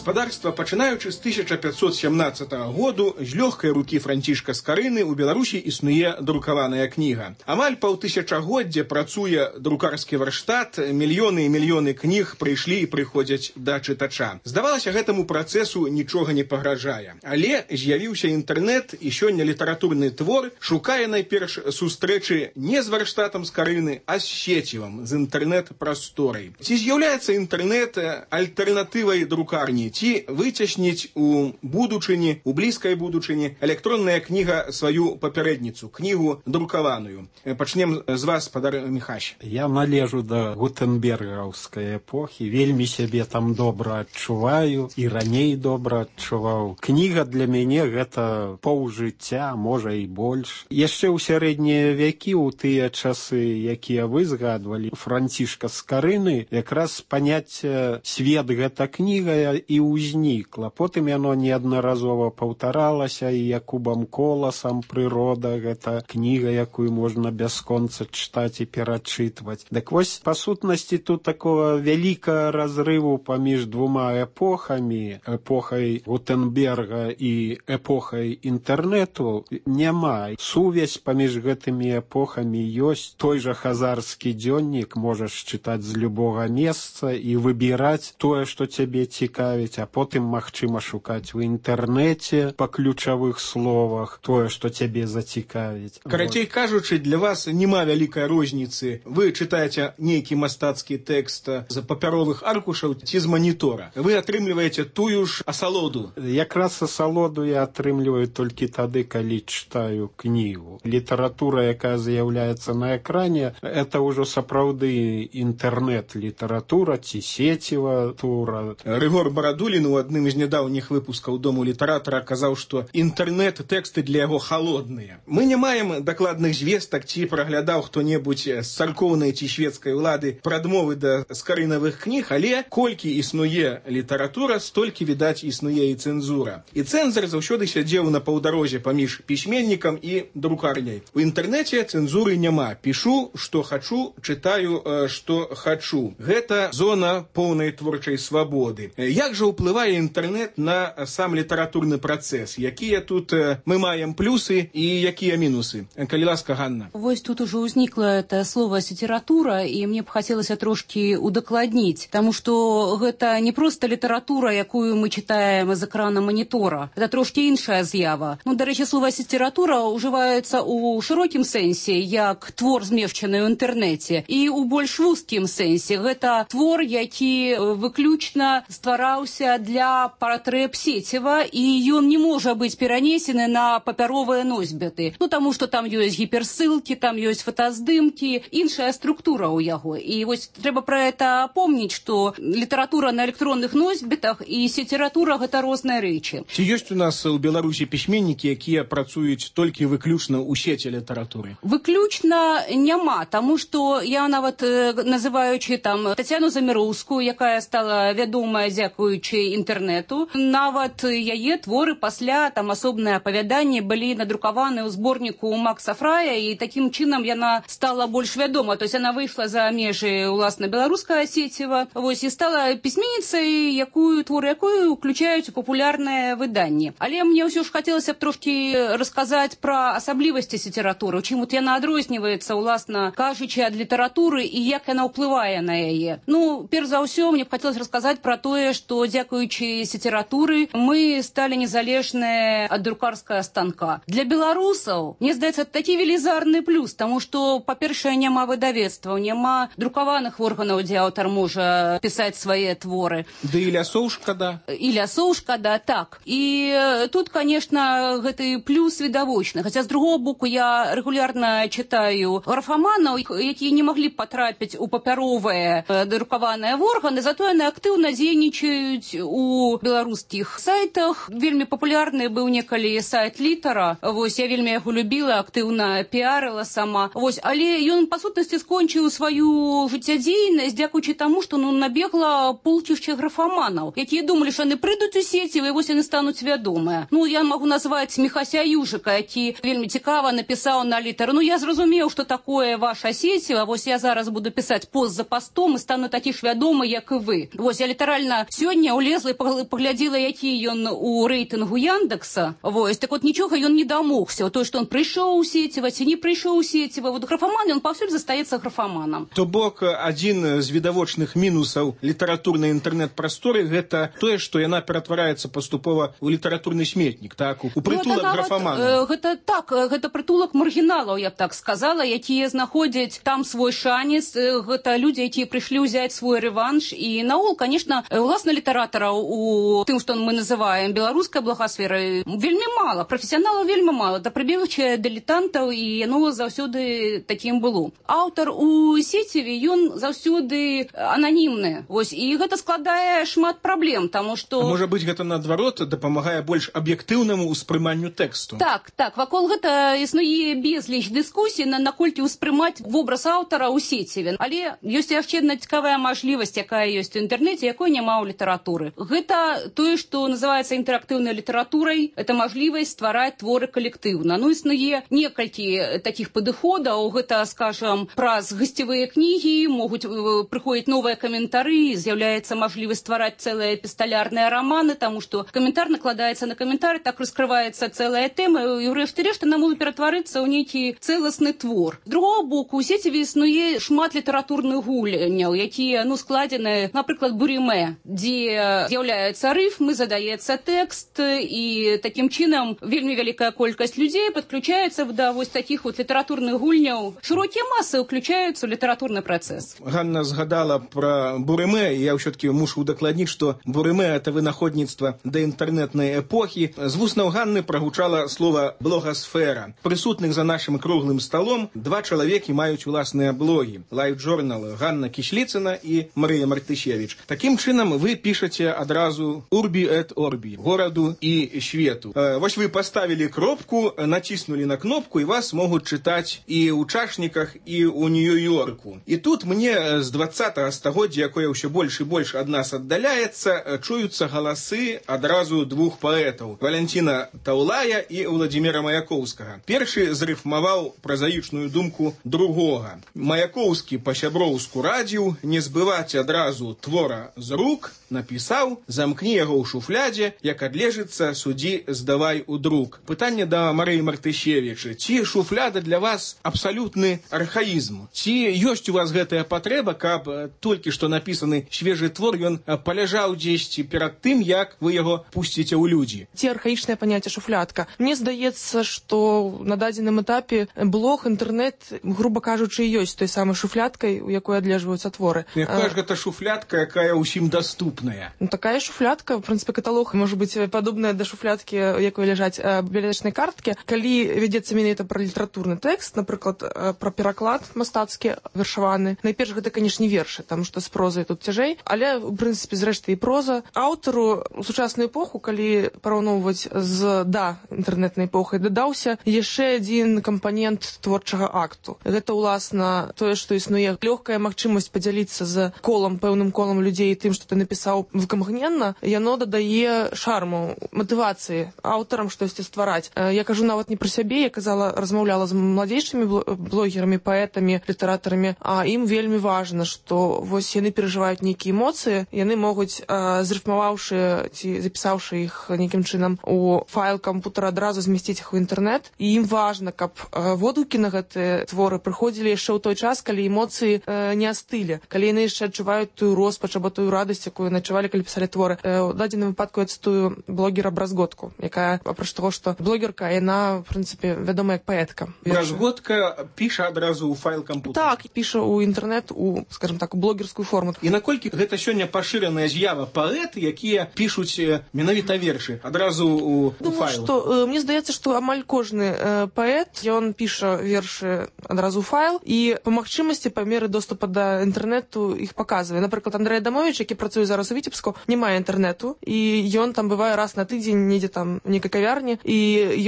Гаспадарства, пачынаючы з тысяча пятьсот семнадцатага году, з лёгкай рукі Францішка Скарыны ў Беларусі існуе друкаваная кніга. Амаль паўтысячагоддзя працуе друкарскі варштат, мільёны і мільёны кніг прыйшлі і прыходзяць да чытача. Здавалася, гэтаму працэсу нічога не пагражае. Але з'явіўся інтэрнэт, і сёння літаратурны твор шукае найперш сустрэчы не з варштатам Скарыны, а з сецівам, з інтэрнэт-прасторай. Ці з'яўляецца інтэрнэт альтэрнатывай друкарні? Ці выцясніць у будучыні, у блізкай будучыні электронная кніга сваю папярэдніцу, кнігу друкаваную. Пачнем з вас, спадар Міхась. Я належу да гутенбергаўскай эпохі, вельмі сябе там добра адчуваю і раней добра адчуваў. Кніга для мяне гэта паўжыцця, можа і больш. Яшчэ ў сярэднія вякі, у тыя часы, якія вы згадвалі, Францішка Скарыны, якраз паняцце свет гэта кніга і ўзнікла. Потым яно неаднаразова паўтаралася і Якубам Коласам «Прырода» — гэта кніга, якую можна бясконца чытаць і перачытваць. Дык вось, па сутнасці, тут такого вялікага разрыву паміж двума эпохамі, эпохай Гутенберга і эпохай інтэрнэту, няма. Сувязь паміж гэтымі эпохамі ёсць. Той жа хазарскі дзённік можаш чытаць з любога месца і выбіраць тое, што цябе цікавіць, а потым магчыма шукаць у інтэрнэце па ключавых словах тое, што цябе зацікавіць. Карацей кажучы, для вас няма вялікай розніцы. Вы чытаеце нейкі мастацкі тэкст з папяровых аркушаў ці з манітора. Вы атрымліваеце тую ж асалоду. Якраз асалоду я атрымліваю толькі тады, калі чытаю кнігу. Літаратура, якая з'яўляецца на экране, это ўжо сапраўды інтэрнэт-літаратура ці сеціва тура. Рыгор Барадулін у адным з нядаўніх выпускаў Дому літаратара казаў, што інтэрнэт-тэксты для яго халодныя. Мы не маем дакладных звестак, ці праглядаў хто-небудзь з царкоўнай ці шведскай улады прадмовы да скарынавых кніг, але колькі існуе літаратура, столькі, відаць, існуе і цэнзура. І цэнзар заўсёды сядзеў на паўдарозе паміж пісьменнікам і друкарняй. У інтэрнэце цэнзуры няма. Пішу, што хачу, чытаю, што хачу. Гэта зона поўнай творчай свабоды. Як жа ўплывае інтэрнэт на сам літаратурны працэс? Якія тут мы маем плюсы і якія мінусы? Калі ласка, Ганна. Вось тут уже ўзнікла это слово «літаратура», і мне б хацелася трошкі удакладніць, таму што гэта не проста літаратура, якую мы чытаем з экрана манітора. Это трошкі іншая з'ява. Ну, дарэчы, слова «літаратура» ўжываецца ў шырокім сэнсе, як твор, змешчаны ў інтэрнэце, і ў больш вузкім сэнсе. Гэта твор, які выключна ствараўся для патрэб сеціва, і ён не можа быць перанесены на папяровыя носьбіты. Ну, таму што там ёсць гіперссылкі, там ёсць фотаздымкі, іншая структура ў яго. І вось трэба пра гэта помніць, што літаратура на электронных носьбітах і сеціратура — гэта розныя рэчы. Ці ёсць у нас у Беларусі пісьменнікі, якія працуюць толькі выключна ў сеці літаратуры? Выключна няма, таму што я нават, называючы там Тацяну Заміроўскую, якая стала вядомая дзякуючы інтэрнэту, нават яе творы пасля, там асобныя апавяданні былі надрукаваны ў зборніку Макса Фрая, і такім чынам яна стала больш вядома. То есть яна выйшла за межы уласна беларускага сеціва, вось, і стала пісьменніцай, якую творы якую уключаюць у папулярныя выданні. Але мне ўсё ж хацелася б трошкі расказаць пра асаблівасці літаратуры, чым вот яна адрозніваецца, уласна кажучы, ад літаратуры і як яна ўплывае на яе. Ну, перш за ўсё, мне б хацелася расказаць пра тое, што дзякуючы сетературы мы сталі незалежныя ад друкарскага станка. Для беларусаў, мне здаецца, такі велізарны плюс, таму што, па-першае, няма выдавецтваў, няма друкаваных органаў, дзе аўтар можа пісаць свае творы. Да і лясоў шкада. І лясоў шкада, так. І тут, конечно, гэты плюс відавочны. Хаця, з другого боку, я рэгулярна чытаю графаманаў, якія не маглі патрапіць у папяровыя друкаваныя органы, зато яны актыўна дзейнічаюць у беларускіх сайтах. Вельмі папулярны быў некалі сайт Літара. Вось, я вельмі яго любіла, актыўна піарыла сама. Вось, але ён, па сутнасці, скончыў сваю жыццядзейнасць, дзякуючы таму, што ну, набегла полчішча графаманаў, якія думалі, што яны прыйдуць у сеці, і вось яны стануць вядомыя. Ну, я магу назваць Міхася Южыка, які вельмі цікава напісаў на Літар. Ну, я зразумеў, што такое ваша сеціва, вось я зараз буду пісаць пост за постом і стану такі ж вядомы, як і вы. Вось, я літаральна сёння улезла і паглядзела, які ён у рэйтынгу Яндекса. Вось, так вот нічога ён не дамогся. То, што ён прыйшоў у сеціва, ці не прыйшоў у сеціва. Вот графаман, ён паўсюль застаецца графаманам. То бок, адзін з відавочных мінусаў літаратурнай інтэрнэт-прасторы гэта тое, што яна ператвараецца паступова ў літаратурны сметнік, так, у прытулак ну, графаманаў. Гэта так, гэта прытулак маргіналаў, я б так сказала, якія знаходзяць там свой шанец. Гэта людзі, якія прыйшлі ўзяць свой рэванш. І наогул, конечно, уласна літаратараў у тым, што мы называем беларускай благасферай, вельмі мала, прафесіяналаў вельмі мала, да прыбегчыя дылетантаў, і яно заўсёды такім было. Аўтар у сеціве, ён заўсёды ананімны. Вось, і гэта складае шмат праблем, таму што... А можа быць, гэта наадварот дапамагае больш аб'ектыўнаму ўспрыманню тэксту? Так, так, вакол гэта існуе безліч дыскусій, на наколькі ўспрымаць вобраз аўтара ў сеціве. Але ёсць яшчэ одна цікавая мажлівасць, якая ёсць у інтэрнэце, якой няма ў літаратуры. Гэта тое, што называецца інтэрактыўнай літаратурай, это мажлівасць ствараць творы калектыўна. Ну, існуе некалькі такіх падыходаў, гэта, скажам, праз гасцевыя кнігі, могуць прыходзіць новыя каментары, з'яўляецца мажлівасць ствараць цэлыя эпісталярныя раманы, таму што каментар накладаецца на каментар, так раскрываецца цэлая тэма, і ўрэшце рэшт яна можа ператварыцца ў нейкі цэласны твор. З другого боку, у сеціве існуе шмат літаратурных гульняў, якія, ну, складзены, напрыклад, бурімэ, дзе з'яўляецца рыфмы, задаецца тэкст, і такім чынам вельмі вялікая колькасць людзей падключаецца да вось такіх вот літаратурных гульняў. Шырокія масы ўключаюцца ў літаратурны працэс. Ганна згадала пра бурымэ, і я ўсё-таки мушу удакладніць, што бурымэ — это вынаходніцтва да інтэрнэтнай эпохі. З вуснаў Ганны прагучала слова «блогасфера». Прысутных за нашым круглым сталом два чалавекі маюць уласныя блогі. Лайф-журнал Ганна Кісліцына і Марыя Мартышевіч. Такім чынам вы пішаце адразу «Урбі эт орбі» — гораду і свету. Вось вы паставілі кропку, націснулі на кнопку, і вас могуць чытаць і ў чашніках, і ў Нью-Йорку. І тут мне з двадцатага стагоддзя, якое ўсё больш і больш ад нас аддаляецца, чуюцца галасы адразу двух паэтаў — Валянціна Таўлая і Владзіміра Маяковскага. Першы зрыфмаваў празаічную думку другога. Маяковскі па-сяброўску радзіў не збываць адразу твора з рук, напісаў: замкні яго ў шуфлядзе, як адлежыцца, судзі здавай у друк. Пытанне да Марыі Мартышевічы: ці шуфляда для вас абсалютны архаізм? Ці ёсць у вас гэтая патрэба, каб толькі што напісаны свежы твор ён паляжаў дзесьці перад тым, як вы яго пусціце ў людзі? Ці архаічнае паняцце шуфлядка. Мне здаецца, што на дадзеным этапе блог, інтэрнэт, груба кажучы, ёсць той самай шуфлядкай, у якой адлежваюцца творы. Якая ж гэта шуфлядка, якая ўсім даступная? Ну, такая шуфлядка, в прынцыпе, каталог можа быць падобная да шуфлядкі, якой ляжаць бібліятэчнай карткі. Калі вядзецца менавіта пра літаратурны тэкст, напрыклад, пра пераклад мастацкі вершаваны, найперш гэта, канешне, вершы, таму што з прозай тут цяжэй, але, у прынцыпе, зрэшты, і проза. Аўтару у сучасную эпоху, калі параўноўваць з да інтэрнэтнай эпохай, дадаўся яшчэ адзін кампанент творчага акту. Гэта, уласна, тое, што існуе лёгкая магчымасць падзяліцца з колам, пэўным колам людзей тым, што ты напісаў выкамгненна, яно дадае шарму, матывацыі аўтарам штосьці ствараць. Я кажу нават не пра сябе, я казала, размаўляла з младзейшымі блогерамі, паэтамі, літаратарамі, а ім вельмі важна, што вось яны перажываюць нейкія эмоцыі, яны могуць, зрыфмаваўшы ці запісаўшы іх нейкім чынам у файл кампутара, адразу змясціць іх у інтэрнэт, і ім важна, каб водгукі на гэтыя творы прыходзілі яшчэ ў той час, калі эмоцыі не астылі, калі яны яшчэ адчуваюць тую роспач або тую радасць, якую начавалі пісалі, калі пісалі творы. У дадзеным выпадку я цытую блогера Бразготку, якая, апроч таго, што блогерка, яна, в прынцыпе, вядома як паэтка. Бразготка піша адразу ў файл кампутера. Так, піша ў інтэрнэт, у, скажем так, у блогерскую форму. І наколькі гэта сёння пашыраная з'ява паэты, якія пішуць менавіта вершы адразу у, у файл? Думаю, што, э, мне здаецца, што амаль кожны э, паэт, ён піша вершы адразу ў файл, і па магчымасці, па меры доступа да інтэрнэту іх паказвае. Напрыклад, Андрэй Адамович, які працуе зараз у Віцебску, не мае інтэрнэту, і ён там бывае раз на тыдзень, недзе там у нейкай кавярні, і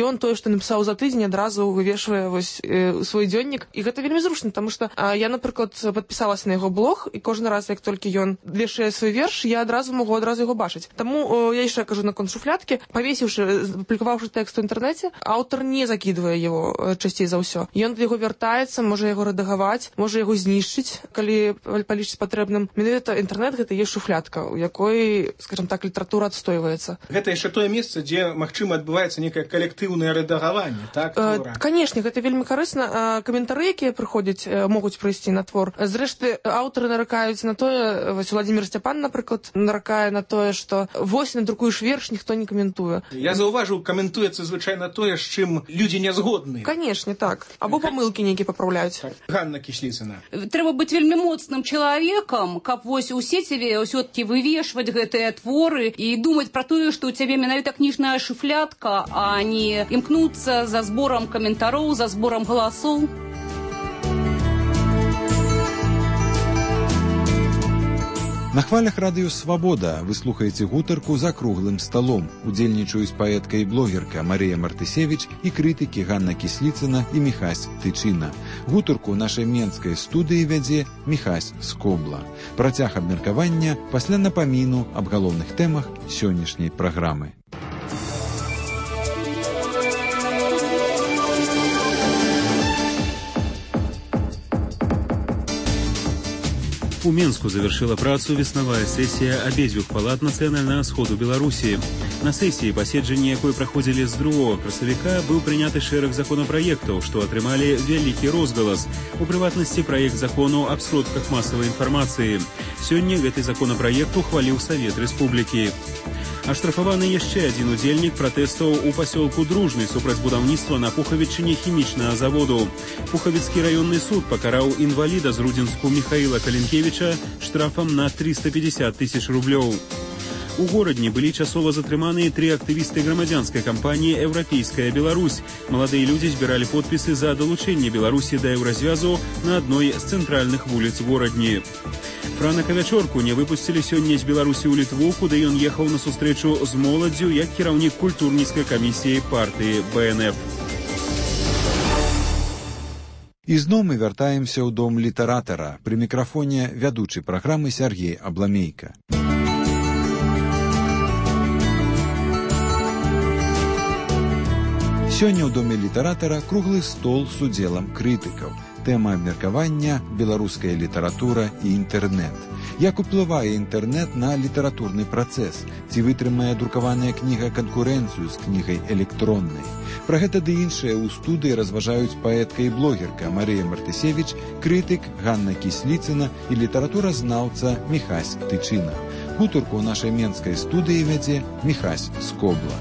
ён тое, што напісаў за тыдзень, адразу вывешвае вось э, свой дзённік. І гэта вельмі зручна, таму што а, я, напрыклад, падпісалася на яго блог, і кожны раз, як толькі ён вешае свой верш, я адразу магу адразу яго бачыць. Таму э, я яшчэ кажу наконт шуфлядкі, павесіўшы, апублікаваўшы тэкст у інтэрнэце, аўтар не закідвае яго э, часцей за ўсё. Ён да яго вяртаецца, можа яго рэдагаваць, можа яго знішчыць, калі палічыць патрэбным. Менавіта інтэрнэт гэта ёсць шуфлядка, у якой, скажем так, літаратура адстойваецца. Гэта яшчэ тое месца, дзе, магчыма, адбываецца некае калектыўнае рэдагаванне, так? Э, Канешне, гэта вельмі карысна. Каментары, якія прыходзяць, могуць прыйсці на твор. Зрэшты, аўтары наракаюць на тое, вось Владзімір Сцяпан, напрыклад, наракае на тое, што вось надрукуеш верш, ніхто не каментуе. Я заўважыў, каментуецца звычайна тое, з чым людзі не згодны. Канешне, так. Або памылкі нейкія папраўляюць. Так. Ганна Кісліцына. Трэба быць вельмі моцным чалавекам, каб вось у сеціве ўсё-такі вывешваць гэтыя творы і думаць пра тое, што ў цябе менавіта кніжная шуфлядка, а не імкнуцца за зборам каментароў, за зборам галасоў. На хвалях радыё «Свабода» вы слухаеце гутарку за круглым сталом. Удзельнічаюць паэтка і блогерка Марыя Мартысевіч і крытыкі Ганна Кісліцына і Міхась Тычына. Гутарку нашай менскай студыі вядзе Міхась Скобла. Працяг абмеркавання пасля напаміну аб галоўных тэмах сённяшняй праграмы. У Менску завершила працу веснавая сессия обедзвюх палат Нацыянальнага сходу Беларусі. На сессии, паседжанні якой праходзілі з другога красавіка, быў прыняты шэраг законапраектаў, што атрымалі вялікі розгалас. У прыватнасці, праект закону аб сродках масавай інфармацыі. Сёння гэты законапраект ухваліў Савет Рэспублікі. Аштрафаваны яшчэ адзін удзельнік пратэстаў у пасёлку Дружны супраць будаўніцтва на Пухавічыне хімічнага заводу. Пухавіцкі раённы суд пакараў інваліда з Рудзінску Міхаіла Калінкевіча штрафам на триста пятьдесят тысяч рублёў. У горадні былі часова затрыманыя тры актывісты грамадзянскай кампаніі «Еўрапейская Беларусь». Маладыя людзі збіралі подпісы за далучэнне Беларусі да еўразвязу на адной з цэнтральных вуліц горадні. Франака Вячорку не выпусцілі сёння з Беларусі ў Літву, куды ён ехаў на сустрэчу з моладдзю як кіраўнік культурніцкай камісіі партыі Бэ Эн Эф. І зноў мы вяртаемся ў дом літаратара. Пры мікрафоне вядучы праграмы Сяргей Абламейка. Сёння ў доме літаратара круглы стол з удзелам крытыкаў. Тэма абмеркавання – беларуская літаратура і інтэрнэт. Як уплывае інтэрнэт на літаратурны працэс? Ці вытрымае друкаваная кніга канкурэнцыю з кнігай электроннай? Пра гэта ды іншае ў студыі разважаюць паэтка і блогерка Марыя Мартысевіч, крытык Ганна Кісліцына і літаратуразнаўца Міхась Тычына. Гутарку ў нашай менскай студыі вядзе Міхась Скобла.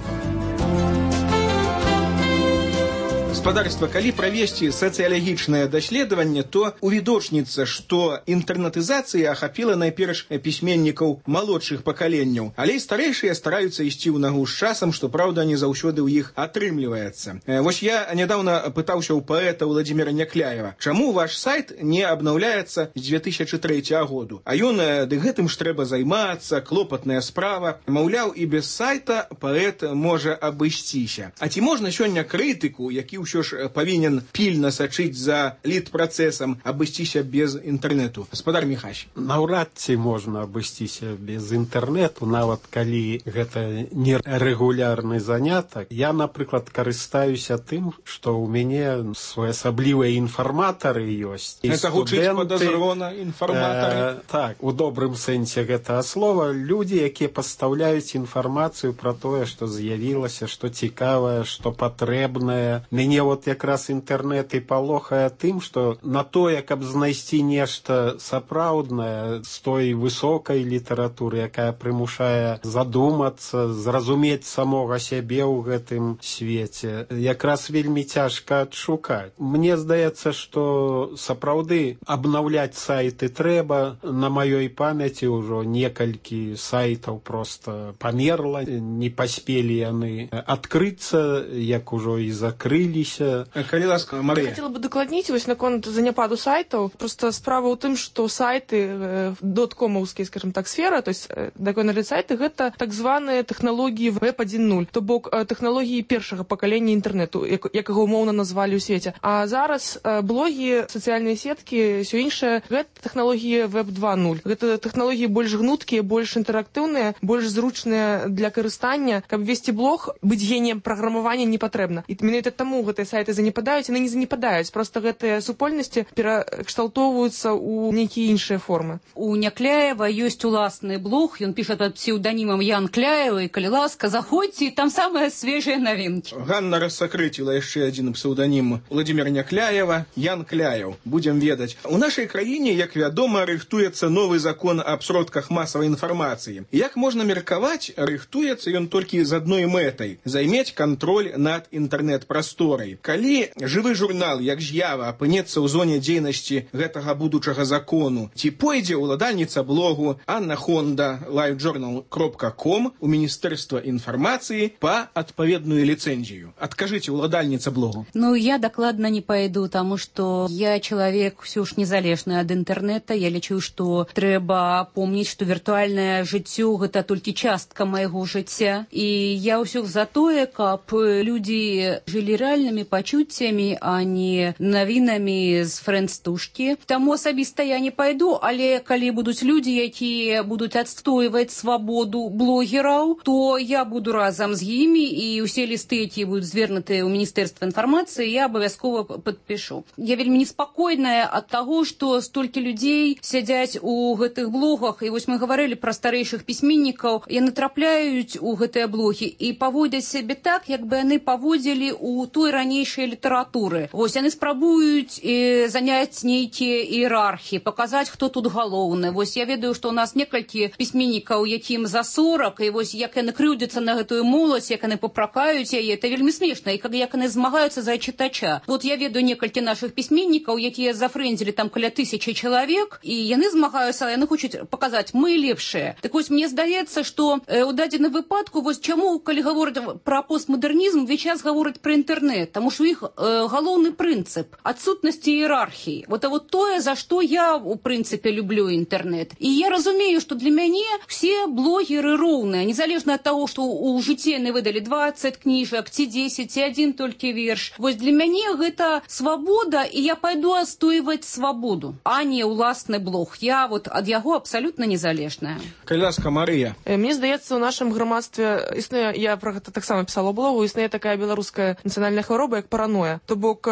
Гаспадарства, калі правесці сацыялагічнае даследаванне, то увідочніцца, што інтэрнатызацыя ахапіла найперш пісьменнікаў малодшых пакаленняў, але і старэйшыя стараюцца ісці ў нагу з часам, што, праўда, не заўсёды ў іх атрымліваецца. Вось я нядаўна пытаўся ў паэта Владзіміра Някляева, чаму ваш сайт не абнаўляецца з две тысячы трэцяга году? А ён, ды гэтым ж трэба займацца, клопатная справа. Маўляў, і без сайта паэт можа абысціся. А ці можна сёння крытыку, які ўсё ж павінен пільна сачыць за літпрацэсам, абысціся без інтэрнэту? Гаспадар Міхась. Наўрад ці можна абысціся без інтэрнэту, нават калі гэта не рэгулярны занятак. Я, напрыклад, карыстаюся тым, што ў мяне своеасаблівыя інфарматары ёсць. Гэта гучыць падазрона, інфарматары? Э, так, у добрым сэнсе гэтага слова. Людзі, якія пастаўляюць інфармацыю пра тое, што з'явілася, што цікавае, што патрэбнае. Мяне вот якраз інтэрнэт і палохае тым, што на тое, каб знайсці нешта сапраўднае з той высокай літаратуры, якая прымушае задумацца, зразумець самога сябе ў гэтым свеце, якраз вельмі цяжка адшукаць. Мне здаецца, што сапраўды абнаўляць сайты трэба. На маёй памяці ўжо некалькі сайтаў просто памерла, не паспелі яны адкрыцца, як ужо і закрыліся. Калі ласка, Марыя. Хотела бы дакладніць вось наконт заняпаду сайтаў. Просто справа ў тым, што сайты доткомаўскія, скажем так, сфера, то есть даконалі сайты, гэта так званыя тэхналогіі веб адзін нуль, то бок тэхналогіі першага пакалення інтэрнэту, якага умоўна назвалі ў свеце. А зараз блогі, сацыяльныя сеткі, ўсё іншае, гэта тэхналогіі веб два нуль. Гэта тэхналогіі больш гнуткія, больш інтэрактыўныя, больш зручныя для карыстання. Каб весці блог, быць геніем праграмавання не патрэбна. І менавіта таму гэтыя сайты занепадаюць, яны не занепадаюць. Проста гэтыя супольнасці перакшталтоўваюцца ў нейкія іншыя формы. У Някляева ёсць уласны блог, ён піша пад псеўданімам Ян Кляева, і калі ласка, заходзьце, і там самыя свежыя навінкі. Ганна рассакрэціла яшчэ адзін псеўданім Владзіміра Някляева, Ян Кляев. Будзем ведаць. У нашай краіне, як вядома, рыхтуецца новы закон аб сродках масавай інфармацыі. Як можна меркаваць, рыхтуецца ён толькі з адной мэтай – займець кантроль над інтэрнэт-прасторай. Калі жывы журнал, як з'ява, апынецца ў зоне дзейнасці гэтага будучага закону, ці пойдзе ўладальніца блогу Анна Хонда лайвджорнал кропка ком у Міністэрства інфармацыі па адпаведную ліцэнзію? Адкажыце, ўладальніца блогу. Ну, я дакладна не пойду, таму што я чалавек ўсё ж незалежны ад інтэрнэта. Я лічу, што трэба помніць, што віртуальнае жыццё – гэта толькі частка майго жыцця. І я ўсё за тое, каб людзі жылі рэальнымі пачуццямі, а не навінамі з фрэндстушкі. Таму асабіста я не пайду, але калі будуць людзі, якія будуць адстойваць свабоду блогераў, то я буду разам з імі, і ўсе лісты, якія будуць звернутыя ў Міністэрства інфармацыі, я абавязкова падпішу. Я вельмі неспакойная ад таго, што столькі людзей сядзяць у гэтых блогах, і вось мы гаварылі пра старэйшых пісьменнікаў, яны трапляюць у гэтыя блогі і паводзяць сябе так, як бы яны паводзілі ў той ранейшай літаратуры. Вось яны спрабуюць э, заняць нейкія іерархіі, паказаць, хто тут галоўны. Вось я ведаю, што ў нас некалькі пісьменнікаў, якім за сорак, і вось як яны крыўдзяцца на гэтую моладзь, як яны папракаюць яе, это вельмі смешна, і як яны змагаюцца за чытача. Вот я ведаю некалькі нашых пісьменнікаў, якія зафрэндзілі там каля тысячы чалавек, і яны змагаюцца, яны хочуць паказаць, мы лепшыя. Так вось мне здаецца, што э, у дадзеным выпадку, вось чаму, калі гавораць пра постмадэрнізм, увесь час гавораць пра інтэрнэт, таму што іх э, галоўны прынцып адсутнасці іерархіі. Вот а вот тое, за што я у прынцыпе люблю інтэрнэт. І я разумею, што для мяне все блогеры роўныя, незалежна ад таго, што ў жыцці яны выдалі дваццаць кніжак, ці дзесяць, ці адзін толькі верш. Вось для мяне гэта свабода, і я пайду адстойваць свабоду, а не ўласны блог. Я вот ад яго абсалютна незалежная. Калі ласка, Марыя. Мне здаецца, у нашым грамадстве існуе, я про гэта таксама пісала ў блогу, існуе такая беларуская нацыянальная хвароба, як параноя. То бок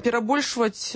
перабольшваць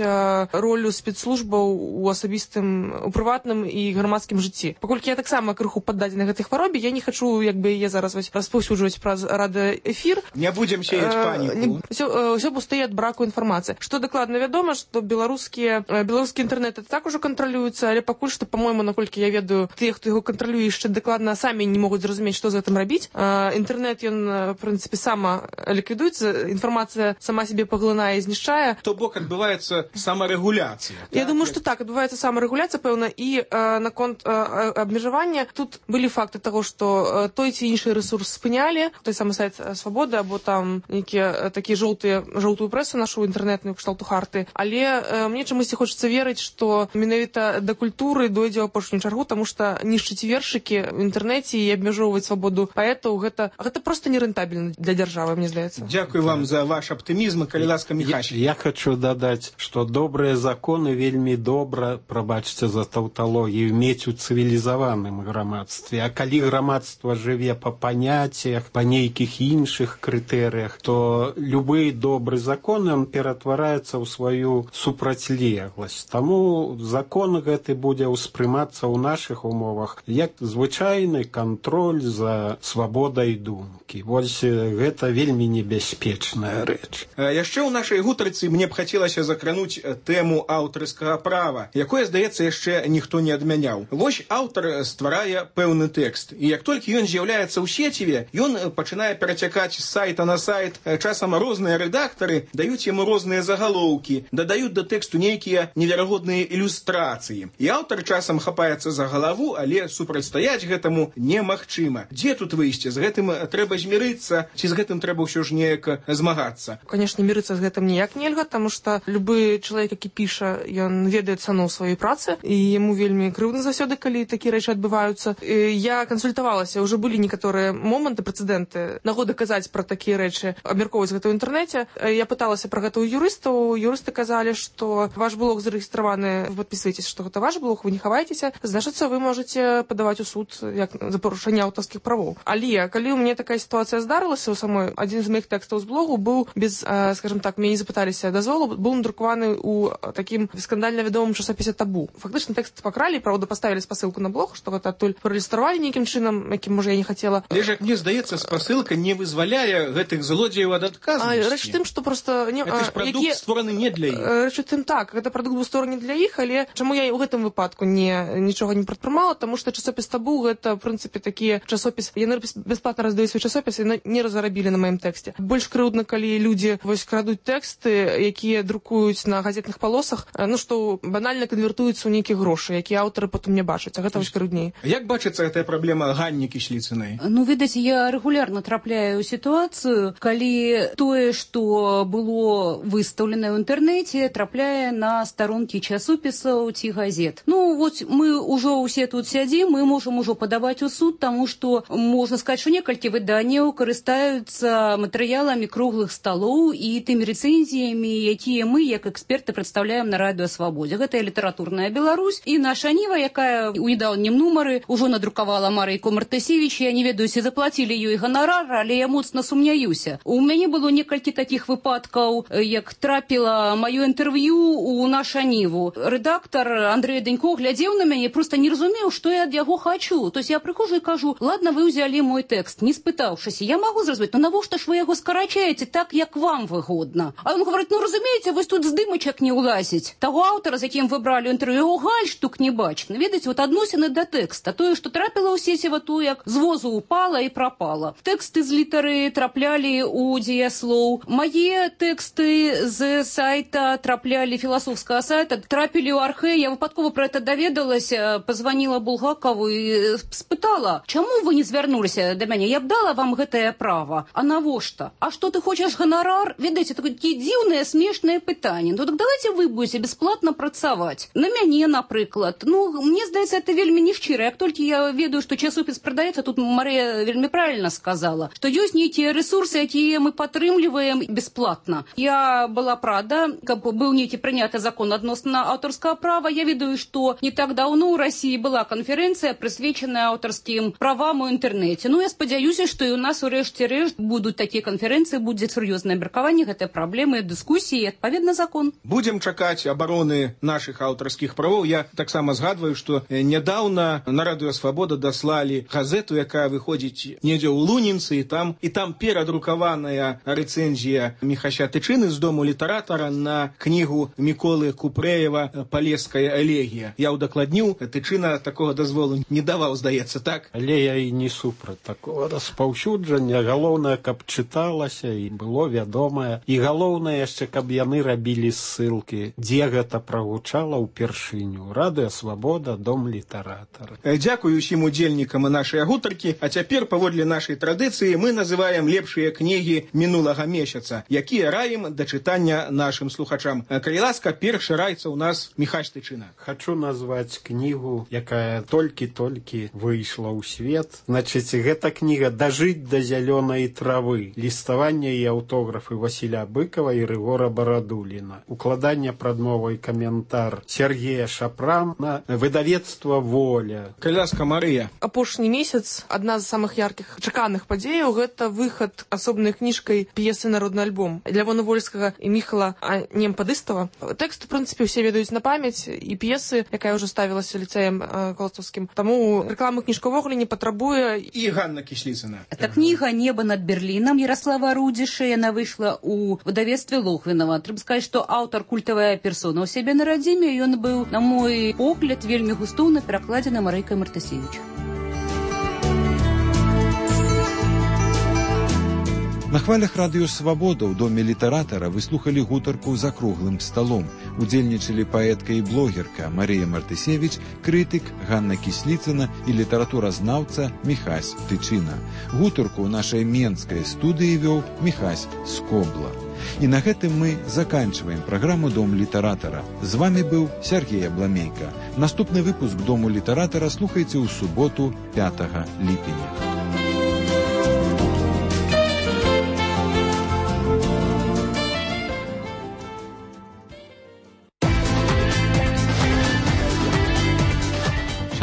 ролю спецслужбаў у асабістым, у прыватным і грамадскім жыцці. Паколькі я таксама крыху паддадзена гэтай хваробе, я не хачу, як бы я зараз распаўсюджваць праз радыёэфір. Не будзем сеяць паніку. Усё пустые ад браку інфармацыі. Што дакладна вядома, што беларускія беларускі інтэрнэт так ужо кантралюецца, але пакуль што, па-мойму, наколькі я ведаю, тыя, хто яго кантралюе, яшчэ дакладна самі не могуць зразумець, што з гэтым рабіць. Інтэрнэт, ён, в прынцыпе, сама ліквідуецца, інфармацыя сама сябе паглынае і знішчае. То бок адбываецца самарэгуляцыя. Я так? думаю, што так, адбываецца самарэгуляцыя, пэўна, і э, наконт э, абмежавання тут былі факты таго, што э, той ці іншы рэсурс спынялі, той самы сайт Свабоды, або там нейкія такія жоўтыя, жоўтую прэсу нашу інтэрнэтную кшталту харты. Але э, мне чамусьці хочацца верыць, што менавіта да культуры дойдзе ў апошнюю чаргу, таму што нішчыць вершыкі в інтэрнэце і абмяжоўваць свабоду паэтаў, гэта, гэта проста нерэнтабельна для дзяржавы, мне здаецца. Дзякуй вам за ваш аптымізм, калі ласка, Міхась. Я, я хочу дадаць, што добрыя законы вельмі добра, прабачце за таўталогію, мець у цывілізаваным грамадстве. А калі грамадства жыве па паняццях, па нейкіх іншых крытэрыях, то любы добры закон, ён ператвараецца ў сваю супрацьлегласць. Таму закон гэты будзе ўспрымацца ў нашых умовах як звычайны кантроль за свабодай думкі. Вось гэта вельмі небяспечная рэч. рэч. Яшчэ ў нашай гутарцы мне б хацелася закрануць тэму аўтарскага права, якое, здаецца, яшчэ ніхто не адмяняў. Вось аўтар стварае пэўны тэкст, і як толькі ён з'яўляецца ў сеціве, ён пачынае перацякаць з сайта на сайт. Часам розныя рэдактары даюць яму розныя загалоўкі, дадаюць да тэксту нейкія неверагодныя ілюстрацыі. І аўтар часам хапаецца за галаву, але супрацьстаяць гэтаму немагчыма. Дзе тут выйсце? З гэтым трэба змірыцца, ці з гэтым трэба ўсё ж неяк змагацца? Конечно, мириться с гэтым ніяк нельга, потому что любы чалавек, які піша, ён ведае цану сваёй працы, і яму вельмі крыўдна заўсёды, калі такія рэчы адбываюцца. І я кансультавалася, уже былі некаторыя моманты, прэцэдэнты, нагоды казаць пра такія рэчы, абмяркоўваць гэта ў інтэрнэце. Я пыталася пра гэта ў юрыстаў, юрысты казалі, што ваш блог зарэгістраваны, вы падпісваецеся, што гэта ваш блог, вы не хаваецеся, значыцца, вы можаце падаваць у суд як за парушэнне аўтарскіх правоў. Але калі ў мяне такая сітуацыя здарылася ў самой, адзін з моих тэкстаў з блогу быў без, скажем так, мяне не запыталіся дазволу, быў надрукаваны ў такім скандальна вядомым часопісе «Табу». Фактычна тэкст пакралі, правда, паставілі спасылку на блог, што гэта адтуль праілюстравалі нейкім чынам, якім, можа, я не хацела. Але ж, мне здаецца, спасылка не вызваляе гэтых злодзеяў ад адказнасці. Рэч тым, што проста... Не, гэта ж прадукт які... створаны не для іх. Рэч тым так, гэта прадукт быў створаны для іх, але чаму я ў гэтым выпадку не, нічога не прадпрымала, таму што часопіс «Табу» гэта, в прынцыпе, такі часопіс, яны бясплатна раздаюць свой часопіс і не разарабілі на маім тэксце. Больш крыўдна, калі людзі вось крадуць тэксты, якія друкуюць на газетных палосах, ну што банальна канвертуюцца ў нейкія грошы, якія аўтары потым не бачаць, а гэта вось крыўдней. Як бачыцца гэтая праблема Ганні Кісліцынай? Ну, відаць, я рэгулярна трапляю ў сітуацыю, калі тое, што было выстаўлена ў інтэрнэце, трапляе на старонкі часопісаў ці газет. Ну, вот мы ўжо ўсе тут сядзім, мы можам ужо падаваць у суд, таму што можна сказаць, што некалькі выданняў карыстаюцца матэрыяламі круглых сталоў і тымі рэцэнзіямі, якія мы, як эксперты, прадстаўляем на радыё Свабодзе. Гэта літаратурная Беларусь і наша Ніва, якая ў недаўнім нумары ўжо надрукавала Марыйку Мартысевіч. Я не ведаю, ці заплацілі ёй ганарар, але я моцна сумняюся. У мяне было некалькі такіх выпадкаў, як трапіла маё інтэрв'ю у наша Ніву. Рэдактар Андрэй Данько глядзеў на мяне, проста не разумеў, што я ад яго хачу. То есть я прыхожу і кажу: ладно, вы ўзялі мой тэкст, не спытаўшыся. Я магу зразумець, ну навошта ж вы яго скарачаеце так, як вам выгодна? А он говорит: ну разумееце, вось тут здымачак не ўлазіць. Таго аўтара, з якім вы бралі інтэрв'ю, гальштук не бачна. Ведаеце, вот адносіны да тэкста. Тое, што трапіла ў сеціва, то як з возу упала і прапала. Тэксты з літары траплялі ў дзеяслоў. Мае тэксты з сайта траплялі, філасофскага сайта, трапілі ў архэ. Я выпадкова пра гэта даведалася, пазваніла Булгакову і спытала: чаму вы не звярнуліся да мяне? Я б дала вам гэтае права. А навошта? А што ты хочаш ганарар? Ведаеце, такія дзіўныя, смешныя пытанні. Ну так давайте вы будете бесплатно працаваць. На мяне, напрыклад. Ну, мне здаецца, это вельмі нешчыра. Як толькі я ведаю, што часопіс прадаецца, тут Марыя вельмі правильно сказала, што ёсць нейкія рэсурсы, якія мы падтрымліваем бесплатна. Я была рада, каб быў нейкі прыняты закон адносна аўтарскага права. Я ведаю, што не так даўно ў Расіі была канферэнцыя, прысвечаная аўтарскім правам у інтэрнэце. Ну, я спадзяюся, што і у нас у рэшце рэшт будуць такія канферэнцыі, будзе сур'ёзнае абмеркаванне гэтай праблемы, дыскусіі і адпаведна закон. Будзем чакаць абароны нашых аўтарскіх правоў. Я таксама згадваю, што нядаўна на радыё Свабода даслалі газету, якая выходзіць недзе ў Лунінцы, і там і там перадрукаваная рэцэнзія Міхася Тычыны з дому літаратара на кнігу Міколы Купрэева «Палеская элегія». Я ўдакладніў, Тычына такога дазволу не даваў, здаецца, так? Але я і не супраць такого распаўсюджання. Галоўнае, каб чыталася і было вядомае. І галоўнае яшчэ, каб яны рабілі ссылкі, дзе гэта прагучала ўпершыню. Радыё Свабода, дом літаратара. Дзякую усім удзельнікам нашай гутаркі. А цяпер, паводле нашай традыцыі, мы называем лепшыя кнігі мінулага месяца, якія раім да чытання нашым слухачам. Калі ласка, першы раіцца ў нас Міхась Тычына. Хачу назваць кнігу, якая толькі-толькі выйшла ў свет. Значыць, гэта кніга «Дажыць да зялёнай травы». Ліставанне і аўтографы Васіля Быкова і Рыгора Барадуліна. Укладанне прадмовы і каментар Сергея Шапрана, выдавецтва «Воля». Калі ласка, Марыя. Апошні месяц адна з самых яркіх чаканых падзеяў — гэта выхад асобнай кніжкай п'есы «Народны альбом» Лявона Вольскага і Міхала Немпадыстава. Тэкст, у прынцыпе, усе ведаюць на памяць, і п'есы, якая ўжо ставілася ліцэем Коластаўскім. Таму рэкламы кніжка ўвогуле не патрабуе. І Ганна Кісліцына. Это книга «Небо над Берлином» Ярослава Рудиша. Она выйшла ў выдавецтве Лохвінава. Трэба сказаць, што аўтар культавая персона ў сябе на радзіме, ён быў, на мой погляд, вельмі густоўна перакладзены Марыйкай Мартысевіч. На хвалях радыё «Свабода» ў доме літаратара выслухалі гутарку за круглым сталом. Удзельнічалі паэтка і блогерка Марыя Мартысевіч, крытык Ганна Кісліцына і літаратуразнаўца Міхась Тычына. Гутарку ў нашай менскай студыі вёў Міхась Скобла. І на гэтым мы заканчваем праграму «Дом літаратара». З вамі быў Сергей Абламейка. Наступны выпуск «Дому літаратара» слухайце ў суботу пятага ліпеня.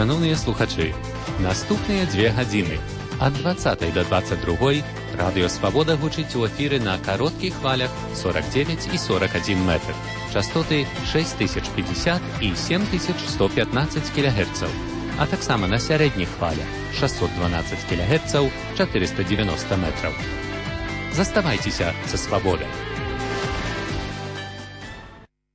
Шановныя слухачы, наступныя дзве гадзіны ад дваццатай да дваццаць другой радыё «Свабода» гучыць у эфіры на кароткіх хвалях сорок девять і сорок один метр, частоты шесть тысяч пятьдесят і семь тысяч сто пятнадцать кілогерцаў, а таксама на сярэдніх хвалях шестьсот двенадцать кілогерцаў, четыреста девяносто метраў. Заставайцеся са «Свабодай».